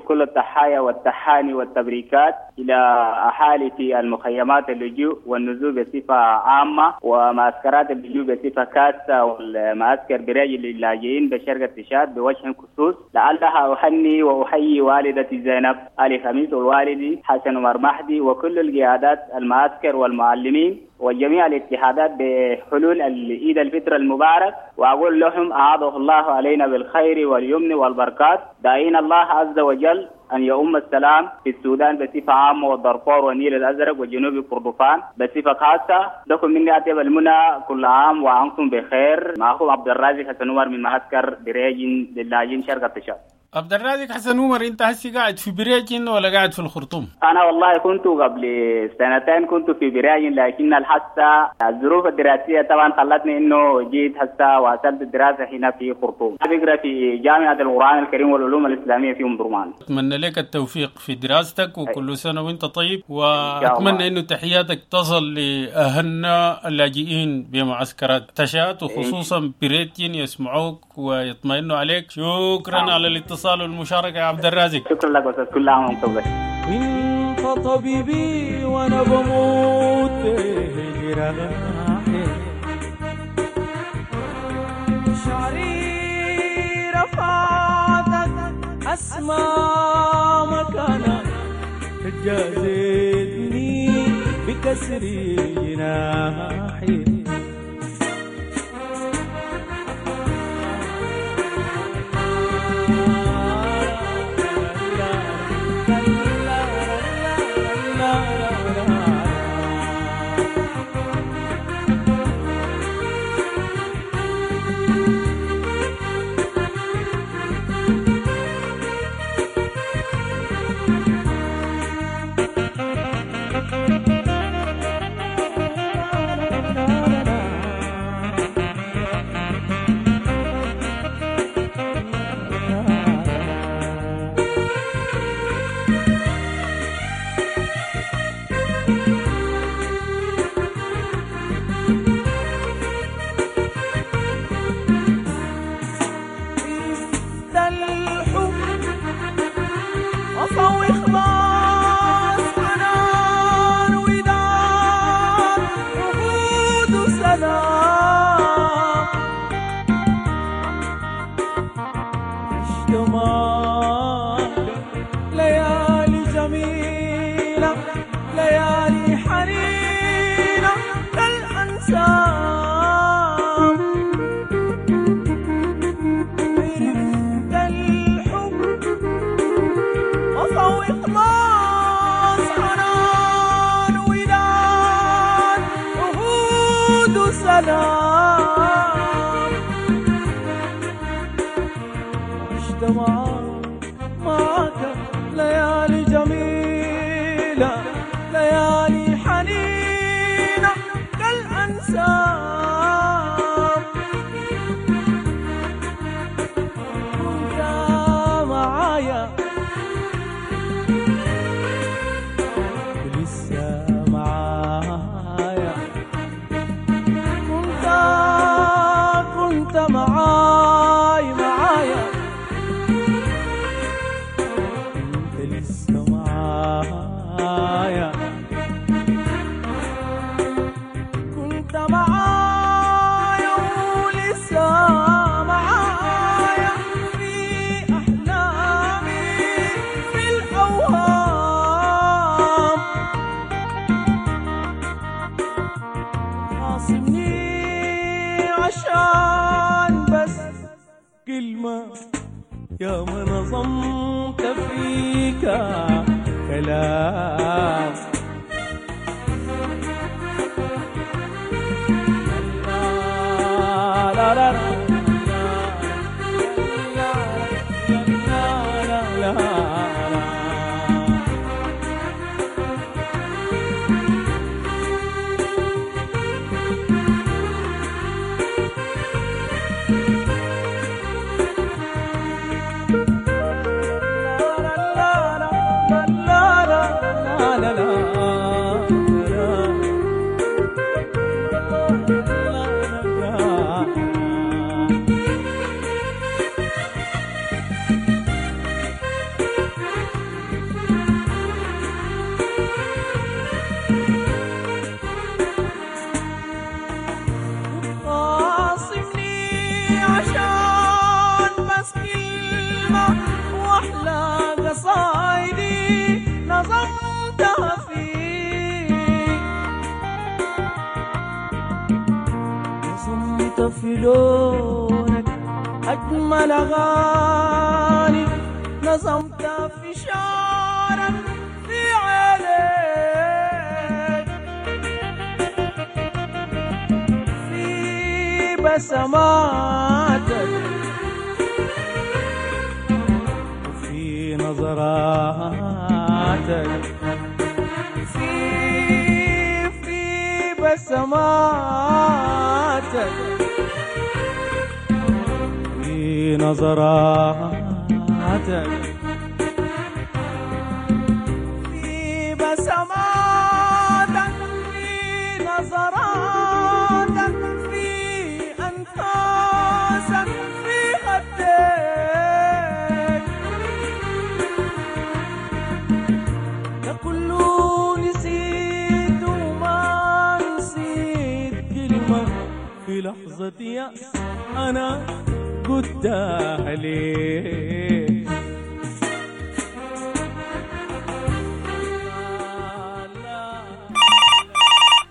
كل التحايا والتحاني والتبريكات إلى أهالي في المخيمات اللجوء والنزول بصفة عامة، ومعسكرات اللجوء بصفة خاصة، والمعسكر بريج للاجئين بشرق تشاد بوجه خصوص. لعلها أهني وأحيي والدتي زينب علي خميس والوالدي حسن عمر مهدي وكل القيادات المعسكر والمعلمين وجميع الاتحادات بحلول عيد الفطر المبارك، وأقول لهم أعاده الله علينا بالخير واليمن والبركات، داعين الله عز وجل أن يؤم السلام في السودان بصفة عامة والدارفور والنيل الأزرق وجنوب كردفان بصفة خاصة. لكم مني أطيب المنى، كل عام وأنتم بخير. معكم عبد الرازق حسن عمر من معسكر بريج للاجئين شرق تشاد. عبد الرازق حسن عمر، انت هسي قاعد في بريجن ولا قاعد في الخرطوم؟ انا والله كنت قبل سنتين كنت في بريجن، لكن الحسة الظروف الدراسيه طبعا خلتني انه جيت هسه واصلت الدراسه هنا في خرطوم. بقرا في جامعه القران الكريم والعلوم الاسلاميه في ام درمان. اتمنى لك التوفيق في دراستك، وكل سنه وانت طيب، واتمنى انه تحياتك تصل لاهلنا اللاجئين بمعسكرات تشاد وخصوصا بريجن، يسمعوك ويطمئنوا عليك. شكرا على الاتصال والمشاركة يا عبد الرازق. شكرا لك أستاذ، كل عام وأنتم بخير. انت طبيبي وانا بموت بجراحي، شعري رفعتك أسمى مكانك، تجازتني بكسر جناحي. سلام. يا ما نظمت فيك كلام. لا لا لا لا لا. خاصمني عشان بس كلمة وأحلى قصايدي نظمتها فيك، نظمت في لونك أجمل أغاني، نظمت في شعرك في عينيك، في بسماتك وفي نظراتك، في في بسماتك في نظراتك، في بسماتك في نظراتك، في أنفاسك في خدك، ده كله نسيت وما نسيت كلمة في لحظة يأس أنا قلتها ليك.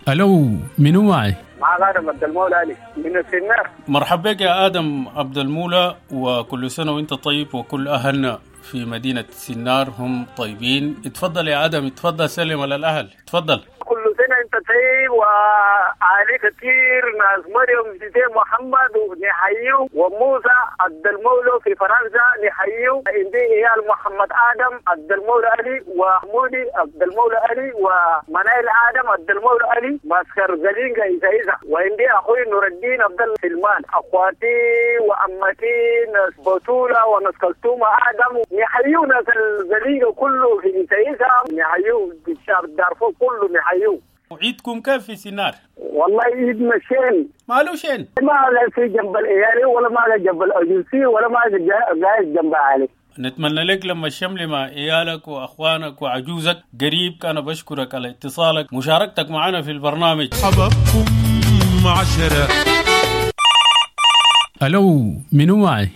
ألو، منو معي؟ معك آدم عبد المولى علي من السنار. مرحبا بك يا آدم عبد المولى، وكل سنة وانت طيب وكل أهلنا في مدينة سنار هم طيبين. اتفضل يا آدم، اتفضل سلم على الأهل، اتفضل. كل سنة انت طيب وعلي كثير ناس مريم زيدان محمد ونحييه، وموسى عبد المولى في فرنسا نحييه، عندي عيال محمد آدم عبد المولى علي وحمودي عبد المولى علي ومنايل آدم عبد المولى علي ماسكر زلينجا إذا إذا، وعندي أخوي نور الدين عبد الله سلمان، أخواتي وعمتي ناس بطولة وناس كلثومة آدم نحييه، ناس الزلينجا كله في إذا إذا نحييه، الشعب دارفور كله نحييه. وعيدكم كيف في سنار؟ والله عيدنا شين. مالو شين؟ ما على في جنب الإيالي ولا ما على جنب الأجنسي ولا ما على قاعد جنب عالي. نتمنى لك لما الشمل مع عيالك وأخوانك وعجوزك قريب. أنا بشكرك على اتصالك مشاركتك معنا في البرنامج. حبابكم عشرة. ألو، منو معي؟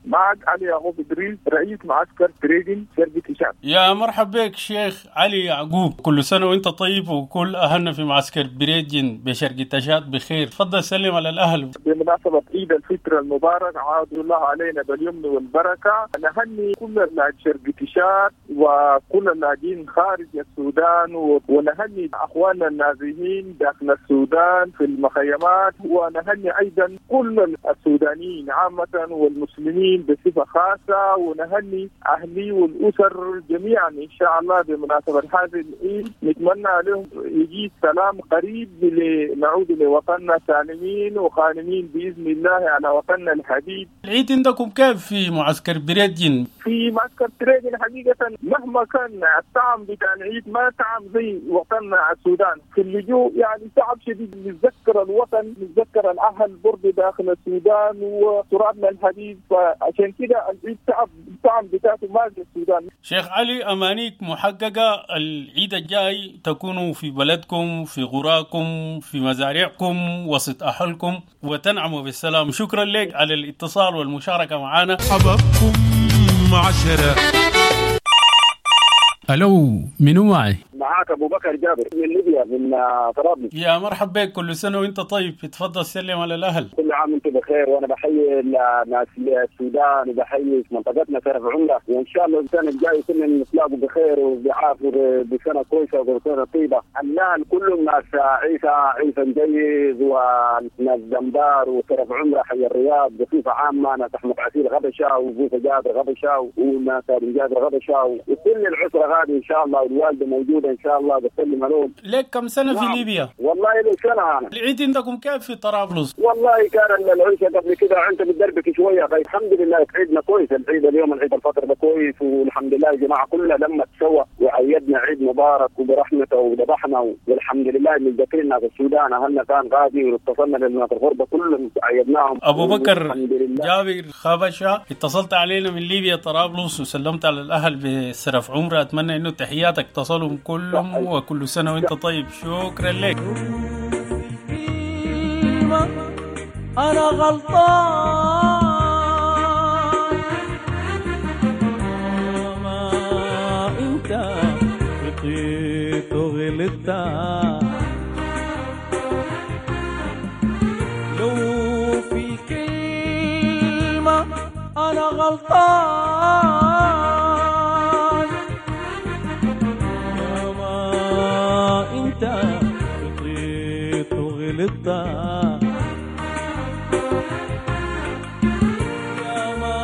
معك علي يعقوب إدريس، رئيس معسكر تريدين شركة تشاد. يا مرحبا بك شيخ علي يعقوب، كل سنة وانت طيب وكل أهلنا في معسكر بريدجن بشرق تشاد بخير. تفضل سلم على الأهل. بمناسبة عيد الفطر المبارك عاد الله علينا باليمن والبركة، نهني كل اللاجئين شرق تشاد وكل اللاجئين خارج السودان، ونهني أخواننا النازحين داخل السودان في المخيمات، ونهني أيضا كل السودانيين عامة والمسلمين بصفة خاصة، ونهني أهلي والأسر جميعا إن شاء الله بمناسبة هذا العيد. نتمنى لهم يجي سلام قريب لنعود لوطننا سالمين وغانمين بإذن الله على وطننا الحبيب. العيد عندكم كيف في معسكر بريدجن؟ في معسكر بريدجن حقيقة مهما كان الطعم بتاع العيد ما طعم زي وطننا السودان. في اللجوء يعني تعب شديد، نتذكر الوطن، نتذكر الأهل برضه داخل السودان وترابنا الحبيب، عشان كده العيد تعب الطعم بتاعته ما زي السودان. شيخ علي، أمانيك محققة، العيد الجاي تكونوا في بلدكم، في غراكم، في مزارعكم، وسط أهلكم، وتنعموا بالسلام. شكرا لك على الاتصال والمشاركة معنا. حبابكم عشرة. ألو، منو معي؟ معاك ابو بكر جابر من ليبيا، من طرابلس. يا مرحبا بك، كل سنة وانت طيب. اتفضل سلم على الاهل. كل عام وانتم بخير، وانا بحيي ناس السودان وبحيي منطقتنا شرف عمره، وان شاء الله السنة الجاية كلنا نتلاقوا بخير وبعافيه، بسنة كويسة وبسنه طيبة. الاهل كلهم ناس عيسى عيسى مجيز وناس دمبار وشرف عمره، حي الرياض بصفة عامة، ناس احمد عسير غبشه وبوسه جابر غبشه وناس جابر غبشه وكل العسرة غادي ان شاء الله، والوالدة موجودة ان شاء الله بسلم عليهم. لك كم سنة في ليبيا؟ والله لي سنة انا. العيد عندكم كيف في طرابلس؟ والله كان العيشة قبل كده انت بتدربك شوية، طيب الحمد لله عيدنا كويس. العيد اليوم العيد الفطر ده كويس والحمد لله الجماعة كلها لما تسوى وعيدنا عيد مبارك وبرحمته وذبحنا، والحمد لله اللي ذكرنا في السودان اهلنا كان غادي واتصلنا للناس الغربة كلهم عيدناهم. ابو بكر جابر خبشه، اتصلت علينا من ليبيا طرابلس وسلمت على الاهل بسرف عمره، اتمنى انه تحياتك تصلهم كلهم، وكل سنة وانت طيب. شكرا لك. انا غلطان ما انت بقيت وغلطت، لو في الكلمة أنا غلطان يا ما أنت بقيت وغلطت، يا ما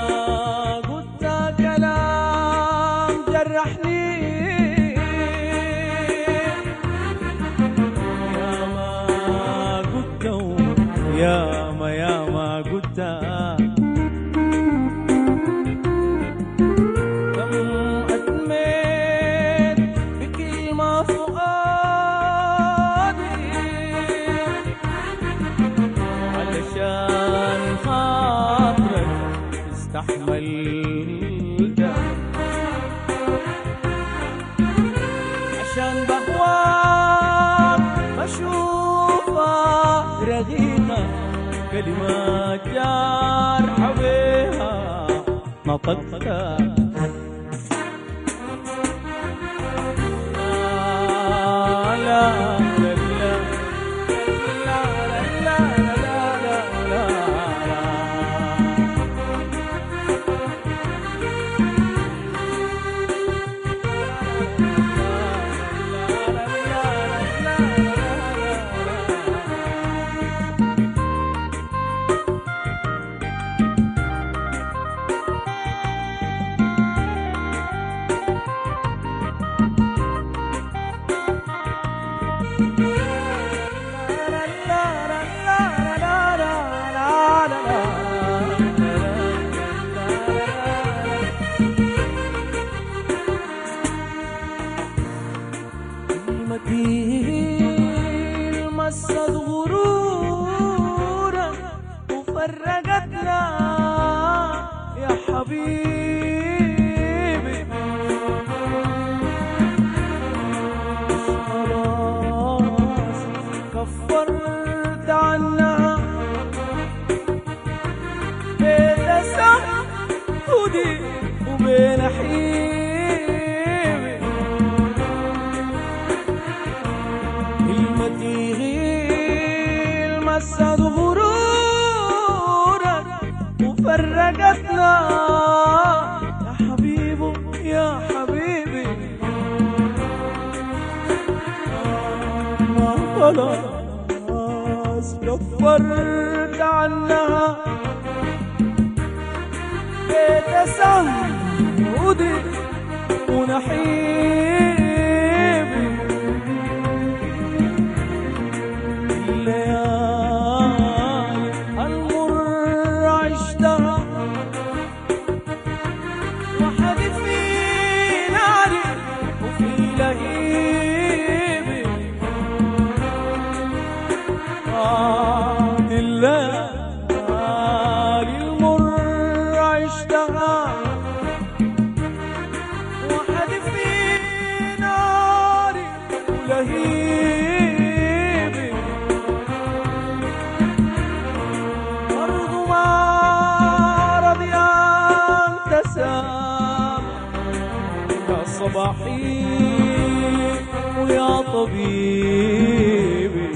قلت كلام جرحني، يا ما قلت يا ما يا ما قلت كم أتميت بكلمة فؤادي علشان خاطرك استحملت، عشان بهواك بشوفها رغيقة، كلمات جارحة بيها نطقتها. لا لا لا لا لا لا لا لا. كلمتي مست غرورا وفرقتنا يا حبيبي، خلاص كفرت عنها بين سهودي وبين حيبي، كلمتي غير مست غرورك وفرقتنا يا حبيبي يا حبيبي، ما خلاص كفرت عنها بيت سهودي ونحيبي، الليالي المر عشتها وحدي في ناري وفي لهيبي، آه الليالي المر عشتها وحدي في ناري ولهيبي، برضو ما رضي أن تسامح يا صباحي طبيبي.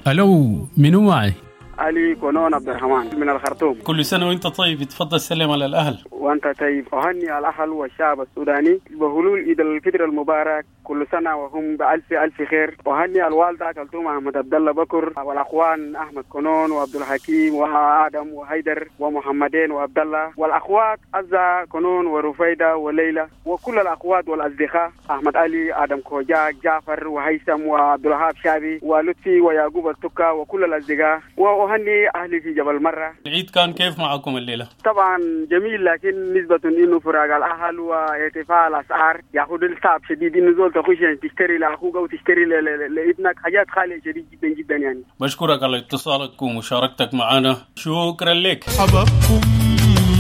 الو، منو معي؟ علي كونون عبد الرحمن من الخرطوم. كل سنة وانت طيب، تفضل سلم على الأهل. وانت طيب. أهني الأهل والشعب السوداني بهلول عيد الفطر المبارك، كل سنة وهم بألف ألف خير. وأهني الوالدة كلثوم أحمد عبد الله بكر، والأخوان أحمد كونون وعبد الحكيم وآدم وهيدر ومحمدين وعبد الله، والأخوات عزة كونون ورفيدة وليلى، وكل الأخوات والأصدقاء أحمد علي، آدم كوجاك، جعفر وهيثم وعبد الوهاب شابي ولطفي ويعقوب التكا وكل الأصدقاء. وأهني أهلي في جبل مرة. العيد كان كيف معكم الليلة؟ طبعا جميل، لكن نسبة إنه فراق الأهل وارتفاع الأسعار ياخذ الصعب شديد، إنه زول تخش يعني تشتري لأخوك أو تشتري لابنك حاجات خالية شديد جدا جدا يعني. بشكرك على اتصالك ومشاركتك معنا، شكرا لك. حبابكم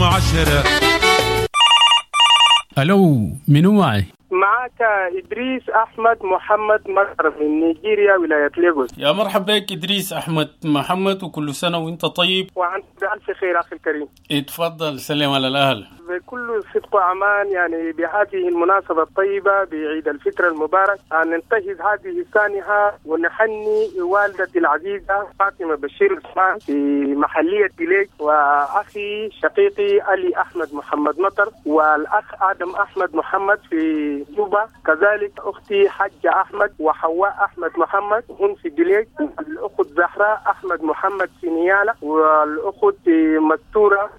عشرة. ألو، منو معي؟ معك إدريس أحمد محمد مطر من نيجيريا، ولاية ليغوس. يا مرحبا بك إدريس أحمد محمد، وكل سنة وأنت طيب. وأنت بألف خير أخي الكريم. اتفضل سلم على الأهل. بكل صدق وأمان يعني بهذه المناسبة الطيبة بعيد الفطر المبارك أن ننتهز هذه السانحة ونحني والدتي العزيزة فاطمة بشير عثمان في محلية بليك، وأخي شقيقي علي أحمد محمد مطر، والأخ آدم أحمد محمد في جوبا، كذلك أختي حجة أحمد وحواء أحمد محمد هم في دليك، الأخت زهراء أحمد محمد في نيالة، والأخت مستورة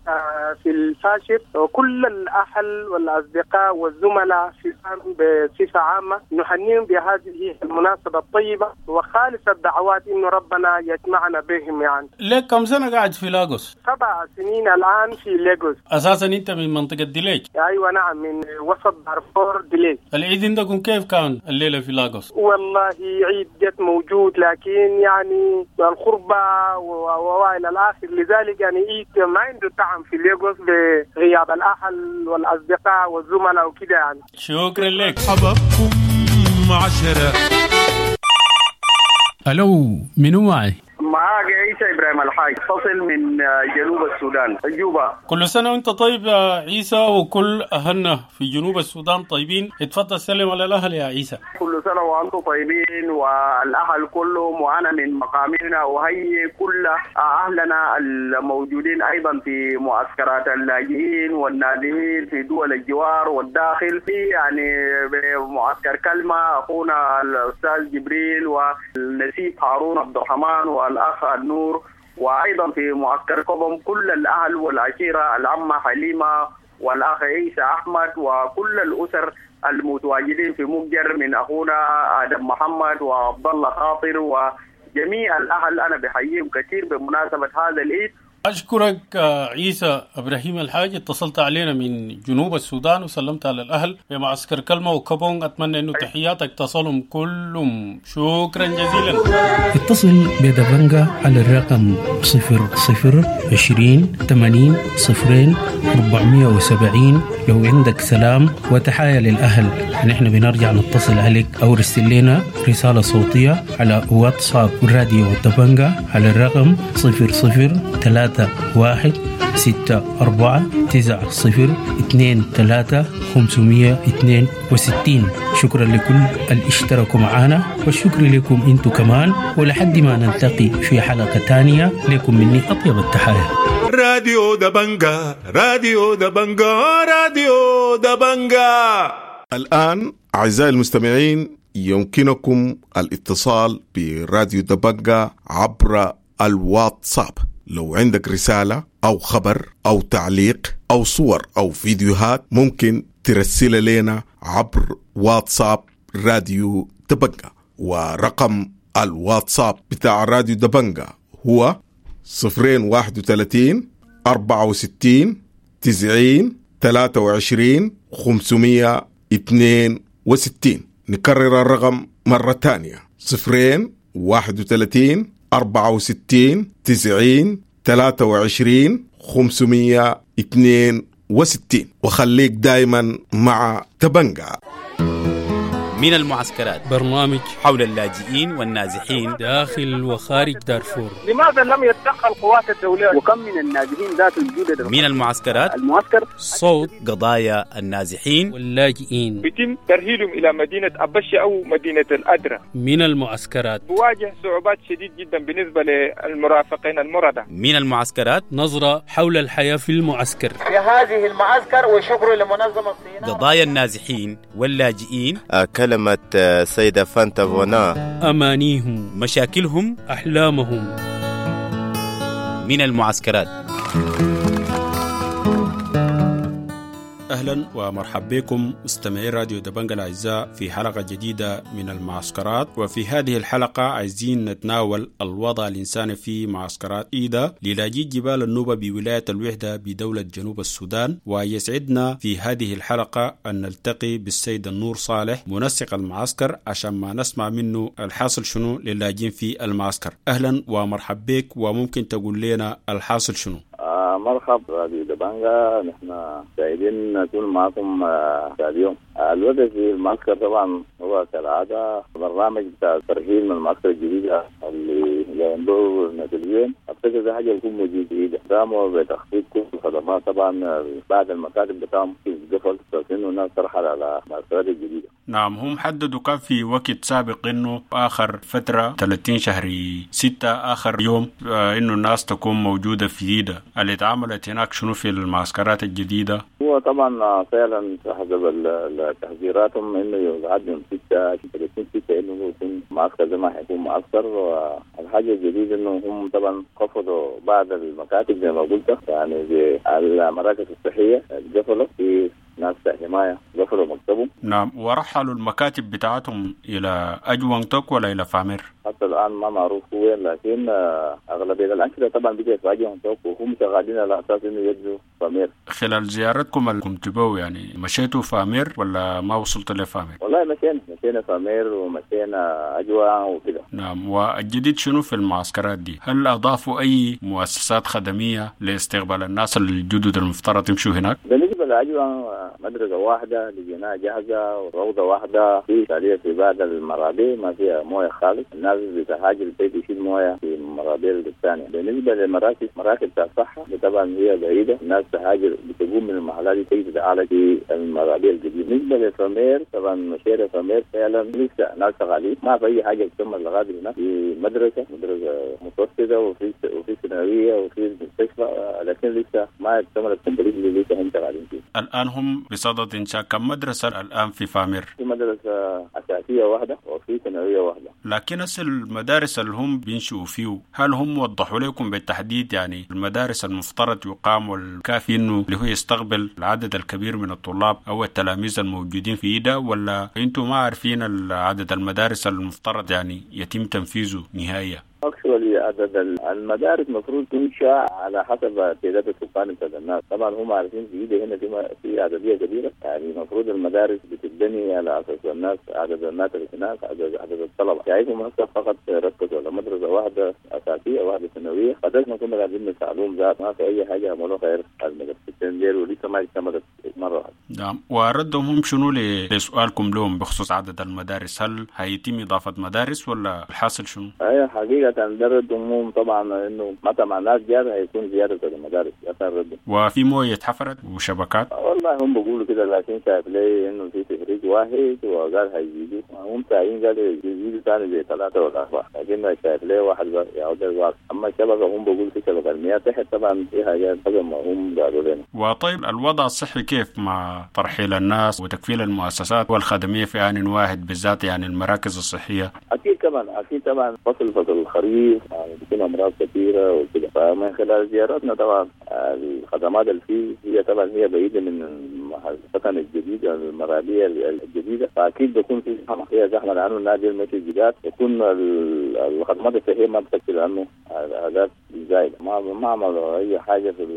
في الفاشر، وكل الأهل والأصدقاء والزملاء في بصفة عامة نهنيهم بهذه المناسبة الطيبة وخالص الدعوات إنه ربنا يجمعنا بهم. يعني لك كم سنة قاعد في لاغوس؟ سبع سنين الآن في لاغوس. أساسا أنت من منطقة دليك؟ أيوة نعم، من وسط دارفور دليك. العيد عندكم كيف كان الليلة في لاغوس؟ والله عيد جت موجود، لكن يعني الخربة وإلى الآخر، لذلك يعني عيد ما عنده طعم في لاغوس بغياب الأهل والأصدقاء والزملاء وكده يعني. شكرا لك. حبابكم عشرة. ألو، منو معي؟ معاك عيسى إبراهيم الحاج، فصل من جنوب السودان، جوبا. كل سنة وانت طيب يا عيسى، وكل أهلنا في جنوب السودان طيبين. اتفضل سلم على الأهل يا عيسى. كل سنة وأنتم طيبين والأهل كلهم، وأنا من مقامنا أهيئ كل أهلنا الموجودين أيضا في معسكرات اللاجئين والنازحين في دول الجوار والداخل، في يعني معسكر كلمة أخونا الأستاذ جبريل والنسيب هارون عبد الرحمن والأخ النور، وأيضا في معسكر كوبم كل الأهل والعشيرة العمة حليمة والأخ عيسى أحمد وكل الأسر المتواجدين في مجر من أخونا آدم محمد وعبد الله خاطر وجميع الأهل، أنا بحييهم كثير بمناسبة هذا العيد. أشكرك عيسى إبراهيم الحاج، اتصلت علينا من جنوب السودان وسلمت على الأهل بمعسكر كلمة وكبون. أتمنى أنه تحياتك تصلهم كلهم. شكرا جزيلا. اتصل بدبنجة على الرقم صفر صفر عشرين ثمانين صفرين أربعمية وسبعين لو عندك سلام وتحايا للأهل. نحن بنرجع نتصل عليك أو رسل لنا رسالة صوتية على واتساب راديو دبنجة على الرقم صفر صفر ثلاثة واحد ستة أربعة تسعة صفر اثنين ثلاثة خمسمية اثنين وستين. شكرا لكل اللي اشتركوا معنا، والشكر لكم انتو كمان، ولحد ما نلتقي في حلقة تانية لكم مني أطيب التحايا. راديو دبنجا، راديو دبنجا، راديو دبنجا. الآن أعزائي المستمعين يمكنكم الاتصال براديو دبنجا عبر الواتساب. لو عندك رسالة أو خبر أو تعليق أو صور أو فيديوهات ممكن ترسل لنا عبر واتساب راديو دبنجا، ورقم الواتساب بتاع راديو دبنجا هو صفرين واحد وثلاثين أربعة وستين تسعين ثلاثة وعشرين خمسمية اثنين وستين. نكرر الرقم مرة تانية، صفرين واحد وثلاثين أربعة وستين تسعين ثلاثة وعشرين خمسمية اثنين وستين. وخليك دايما مع دبنجا. من المعسكرات، برنامج حول اللاجئين والنازحين داخل وخارج دارفور. لماذا لم يتدخل القوات الدولية؟ وكم من النازحين ذات الجدد من المعسكرات، المعسكر صوت قضايا النازحين واللاجئين. يتم ترحيلهم إلى مدينة أبشة أو مدينة الأدرة. من المعسكرات بواجه صعوبات شديد جدا بالنسبة للمرافقين المرضى. من المعسكرات، نظرة حول الحياة في المعسكر في هذه المعسكر، وشكر لمنظمة الصين. قضايا النازحين واللاجئين، كلمة سيدة فانتا فونا، أمانيهم، مشاكلهم، أحلامهم. من المعسكرات. أهلا ومرحبا بكم مستمعي راديو دبنجا الأعزاء في حلقة جديدة من المعسكرات. وفي هذه الحلقة عايزين نتناول الوضع الإنساني في معسكرات إيدا للاجئي جبال النوبة بولاية الوحدة بدولة جنوب السودان. ويسعدنا في هذه الحلقة أن نلتقي بالسيد النور صالح منسق المعسكر عشان ما نسمع منه الحاصل شنو للاجئين في المعسكر. أهلا ومرحبا بك، وممكن تقول لنا الحاصل شنو؟ آه مرحبا راديو دبنجا، نحن سعيدين نكون معكم آه اليوم. آه الوضع في المعسكر طبعا هو كالعادة برنامج بتاع الترحيل من المعسكر الجديدة اللي ينبعوا النازلين. أفتكر ده حاجة بتكون موجودة جديدة، قاموا بتخفيض كل الخدمات طبعا بعد المكاتب بتاعهم قفل، إنه الناس ترحل على المعسكرات الجديدة. نعم، هم حددوا كان في وقت سابق إنه آخر فترة ثلاثين شهر ستة آخر يوم آه إنه الناس تكون موجودة في جديدة. اللي اتعملت هناك شنو في المعسكرات الجديدة؟ هو طبعا فعلا حسب تحذيراتهم انه يقعد يوم ستة ثلاثين ستة انه يكون معسكر زي ما حيكون معسكر. والحاجة الجديدة انه هم طبعا خفضوا بعض المكاتب زي ما قلت، يعني زي المراكز الصحية قفلوا، في ناس حماية قفلوا مكتبهم. نعم، ورحلوا المكاتب بتاعتهم إلى أجوان توك ولا إلى فامير؟ حتى الآن ما معروف وين، لكن أغلبية الأنشطة طبعا بقت في أجوان توك وهم شغالين على أساس إنه يجوا فامير. خلال زيارتكم اللي كنتوا بو يعني مشيتوا فامير ولا ما وصلت لفامير؟ والله مشينا مشينا فامير ومشينا أجوان وكده. نعم، والجديد شنو في المعسكرات دي؟ هل أضافوا أي مؤسسات خدمية لاستقبال الناس الجدد المفترض يمشوا هناك؟ بالنسبة لأجوان مدرسة واحدة لقيناها جاهزة وروضة واحدة، في تالية في بعض المرابي ما فيها موية خالص، الناس بتهاجر البيت يشيل موية في المرابي الثانية. بالنسبة للمراكز، مراكز بتاع الصحة طبعا هي بعيدة، الناس تهاجر بتقوم من المحلات دي تيجي تتعالج في المرابي الجديدة. بالنسبة للفامير طبعا مشيرة فامير فعلا لسه ناس شغالين، ما في أي حاجة تكمل لغاية هناك. في مدرسة مدرسة متوسطة وفي وفي ثانوية وفي مستشفى، لكن لسه ما اكتملت complete، لسه هم شغالين فيه. الآن هم بصدد إنشاء كم مدرسة الآن في فامير؟ في مدرسة أساسية واحدة وفي ثانوية واحدة. لكن هسه المدارس اللي هم بينشئوا فيه هل هم وضحوا لكم بالتحديد يعني المدارس المفترض يقام والكافي إنه اللي هو يستقبل العدد الكبير من الطلاب أو التلاميذ الموجودين في إيدا، ولا أنتم ما عارفين عدد المدارس المفترض يعني يتم تنفيذه نهائيا؟ Actually عدد المدارس المفروض تنشأ على حسب تعداد السكان بتاع الناس، طبعا هم عارفين في إيدا هنا في في عددية كبيرة، يعني المفروض المدارس بتتبني على أساس الناس، عدد الناس اللي هناك، عدد عدد الطلبة. شايفهم هسه فقط ركزوا على مدرسة واحدة أساسية واحدة ثانوية، قدرنا ما كنا قاعدين نسألهم ذات ما في أي حاجة عملوها غير المدرستين ديل ولسه ما اكتملت مرة واحدة. نعم، وردهم هم شنو لسؤالكم لهم بخصوص عدد المدارس؟ هل هيتم إضافة مدارس ولا الحاصل شنو؟ أيوة حقيقة ده ردهم طبعا انه متى مع الناس جاب هيكون زيادة المدارس ده ردهم. وفي مويه اتحفرت وشبكات؟ والله هم بيقولوا كده، لكن شايف لي انه في تفريج واحد وقال هيزيدوا، هم ساعين قالوا يزيدوا ثاني زي ثلاثة ولا اربعة، لكن شايف لي واحد يعود الواحد. اما الشبكة هم بيقولوا في شبكة المياه تحت طبعا في حاجات ما هم قالوا لنا. وطيب الوضع الصحي كيف مع ترحيل الناس وتكفيل المؤسسات والخدميه في آن واحد بالذات يعني المراكز الصحية؟ اكيد طبعا اكيد طبعا فصل فصل الخريف يعني بيكون امراض كثيرة وكده، فمن خلال زياراتنا طبعا الخدمات اللي فيه هي طبعا هي بعيدة من السكن الجديد المرابيه الجديدة، فاكيد بيكون في زحمة، هي زحمة لانه النادي المشي الجداد يكون الخدمات الصحية ما بتكفي لانه الاعداد زايدة، ما ما عملوا اي حاجة في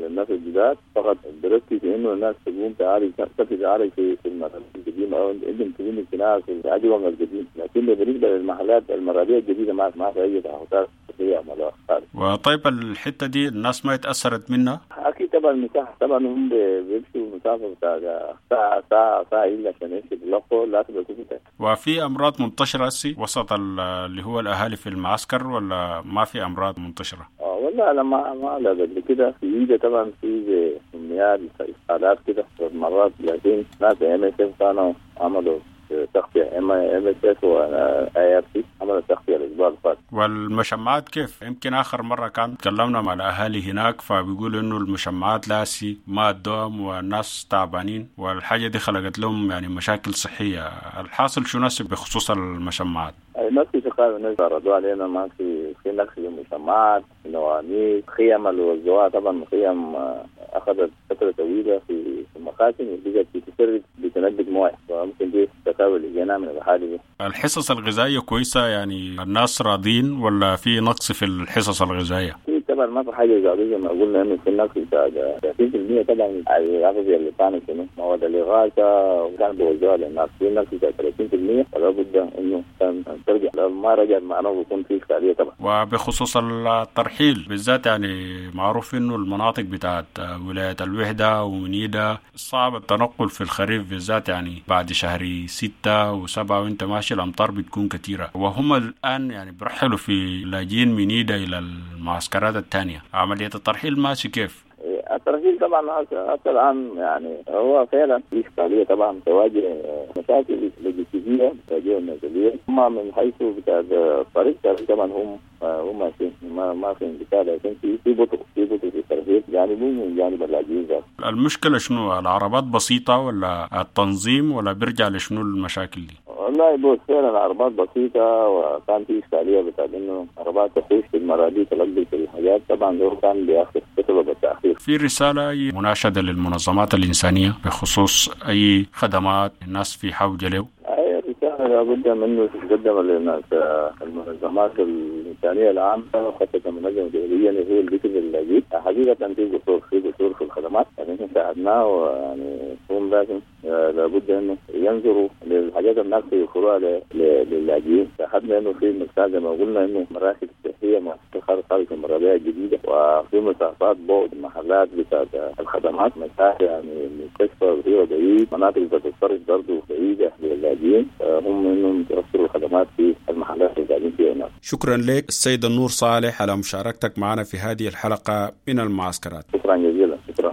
الناس الجداد، فقط بركز انه الناس تقوم تعالج تتعالج في في المرابيه القديمة او عندهم كلينيك هناك في العجوه القديم، لكن بالنسبة للمحلات المرابيه الجديدة ما ما في اي تعهدات صحية عملوها خالص. وطيب الحتة دي الناس ما اتأثرت منها؟ اكيد طبعا المساحة طبعا هم بيمشوا مسافة بتاع ساعة ساعة ساعة الا عشان يمشي بلقوا لازم يكون. وفي امراض منتشرة هسي وسط اللي هو الاهالي في المعسكر ولا ما في امراض منتشرة؟ اه والله انا ما ما لا قبل كده في ايده طبعا في زي امنيات اسقالات كده مرات، لكن ناس MSF كانوا عملوا تغطية MSF و IRC عملوا تغطية الاسبوع اللي فات. والمشمعات كيف؟ يمكن اخر مرة كان تكلمنا مع الاهالي هناك فبيقولوا انه المشمعات لاسي ما الدوام والناس تعبانين، والحاجة دي خلقت لهم يعني مشاكل صحية. الحاصل شو ناس بخصوص المشمعات؟ ما في شغال، الناس عرضوا علينا ما في في نقص في المشمعات، نواميس، خيم اللي وزعوها طبعا خيم اخذت فترة طويلة في المخازن وبقت بتسرب بتنبت مويه، فممكن دي التكاوي اللي جينا من الحالة دي. الحصص الغذائية كويسة يعني الناس راضين ولا في نقص في الحصص الغذائية؟ في طبعا ما في حاجة زي ما قلنا انه في نقص بتاع ثلاثين بالمية طبعا الأغذية اللي كانت شنو مواد الاغاثة وكان بيوزعوها للناس، في نقص بتاع ثلاثين بالمية ولا بد انه كان ترجع، لو ما رجع معناه بيكون في اشكالية طبعا. وبخصوص الترحيل بالذات يعني معروف انه المناطق بتاعت ولاية الوحدة ومنيدة صعب التنقل في الخريف بالذات، يعني بعد شهر ستة وسبعة وانت ماشي الأمطار بتكون كثيرة، وهم الآن يعني برحلوا في لاجئين منيدة إلى المعسكرات الثانية. عملية الترحيل ماشي كيف؟ الترحيل طبعا حتى الآن يعني هو فعلا في إشكالية طبعا، تواجه مشاكل لوجستية تواجه النازلية، أما من حيث بتاع الطريق طبعا هم هم ماشيين ما ما في انقطاع، لكن في في بطء في بطء في الترحيل جانب من جانب اللاجئين ذات. المشكلة شنو؟ العربات بسيطة ولا التنظيم ولا بيرجع لشنو المشاكل دي؟ والله بص فعلا العربات بسيطة، وكان في إشكالية بتاع إنه عربات تخش في المرابيط تلقي في الحاجات، طبعا ده كان بيأخر بسبب التأخير. في رسالة أي مناشدة للمنظمات الإنسانية بخصوص أي خدمات الناس في حوجة له؟ أي رسالة لابد منه تتقدم للناس المنظمات الإنسانية العامة وخاصة المنظمة الدولية اللي هو البيت اللاجئ. حقيقة في قصور في قصور في الخدمات يعني احنا ساعدناه، ويعني هم لازم لابد انه ينظروا للحاجات الناقصة يوفروها للاجئين. شاهدنا انه في مساحة زي ما قلنا انه مراكز صحية مؤسسة خارج المرابيع الجديدة، وفي مسافات بعد محلات بتاعت الخدمات، مسافة يعني المستشفى هي بعيد، مناطق بتاعت الصرف برضه بعيدة للاجئين، هم انهم يوفروا الخدمات في المحلات اللي قاعدين فيها هناك. شكرا لك السيد النور صالح على مشاركتك معنا في هذه الحلقة من المعسكرات. شكرا جزيلا. شكرا.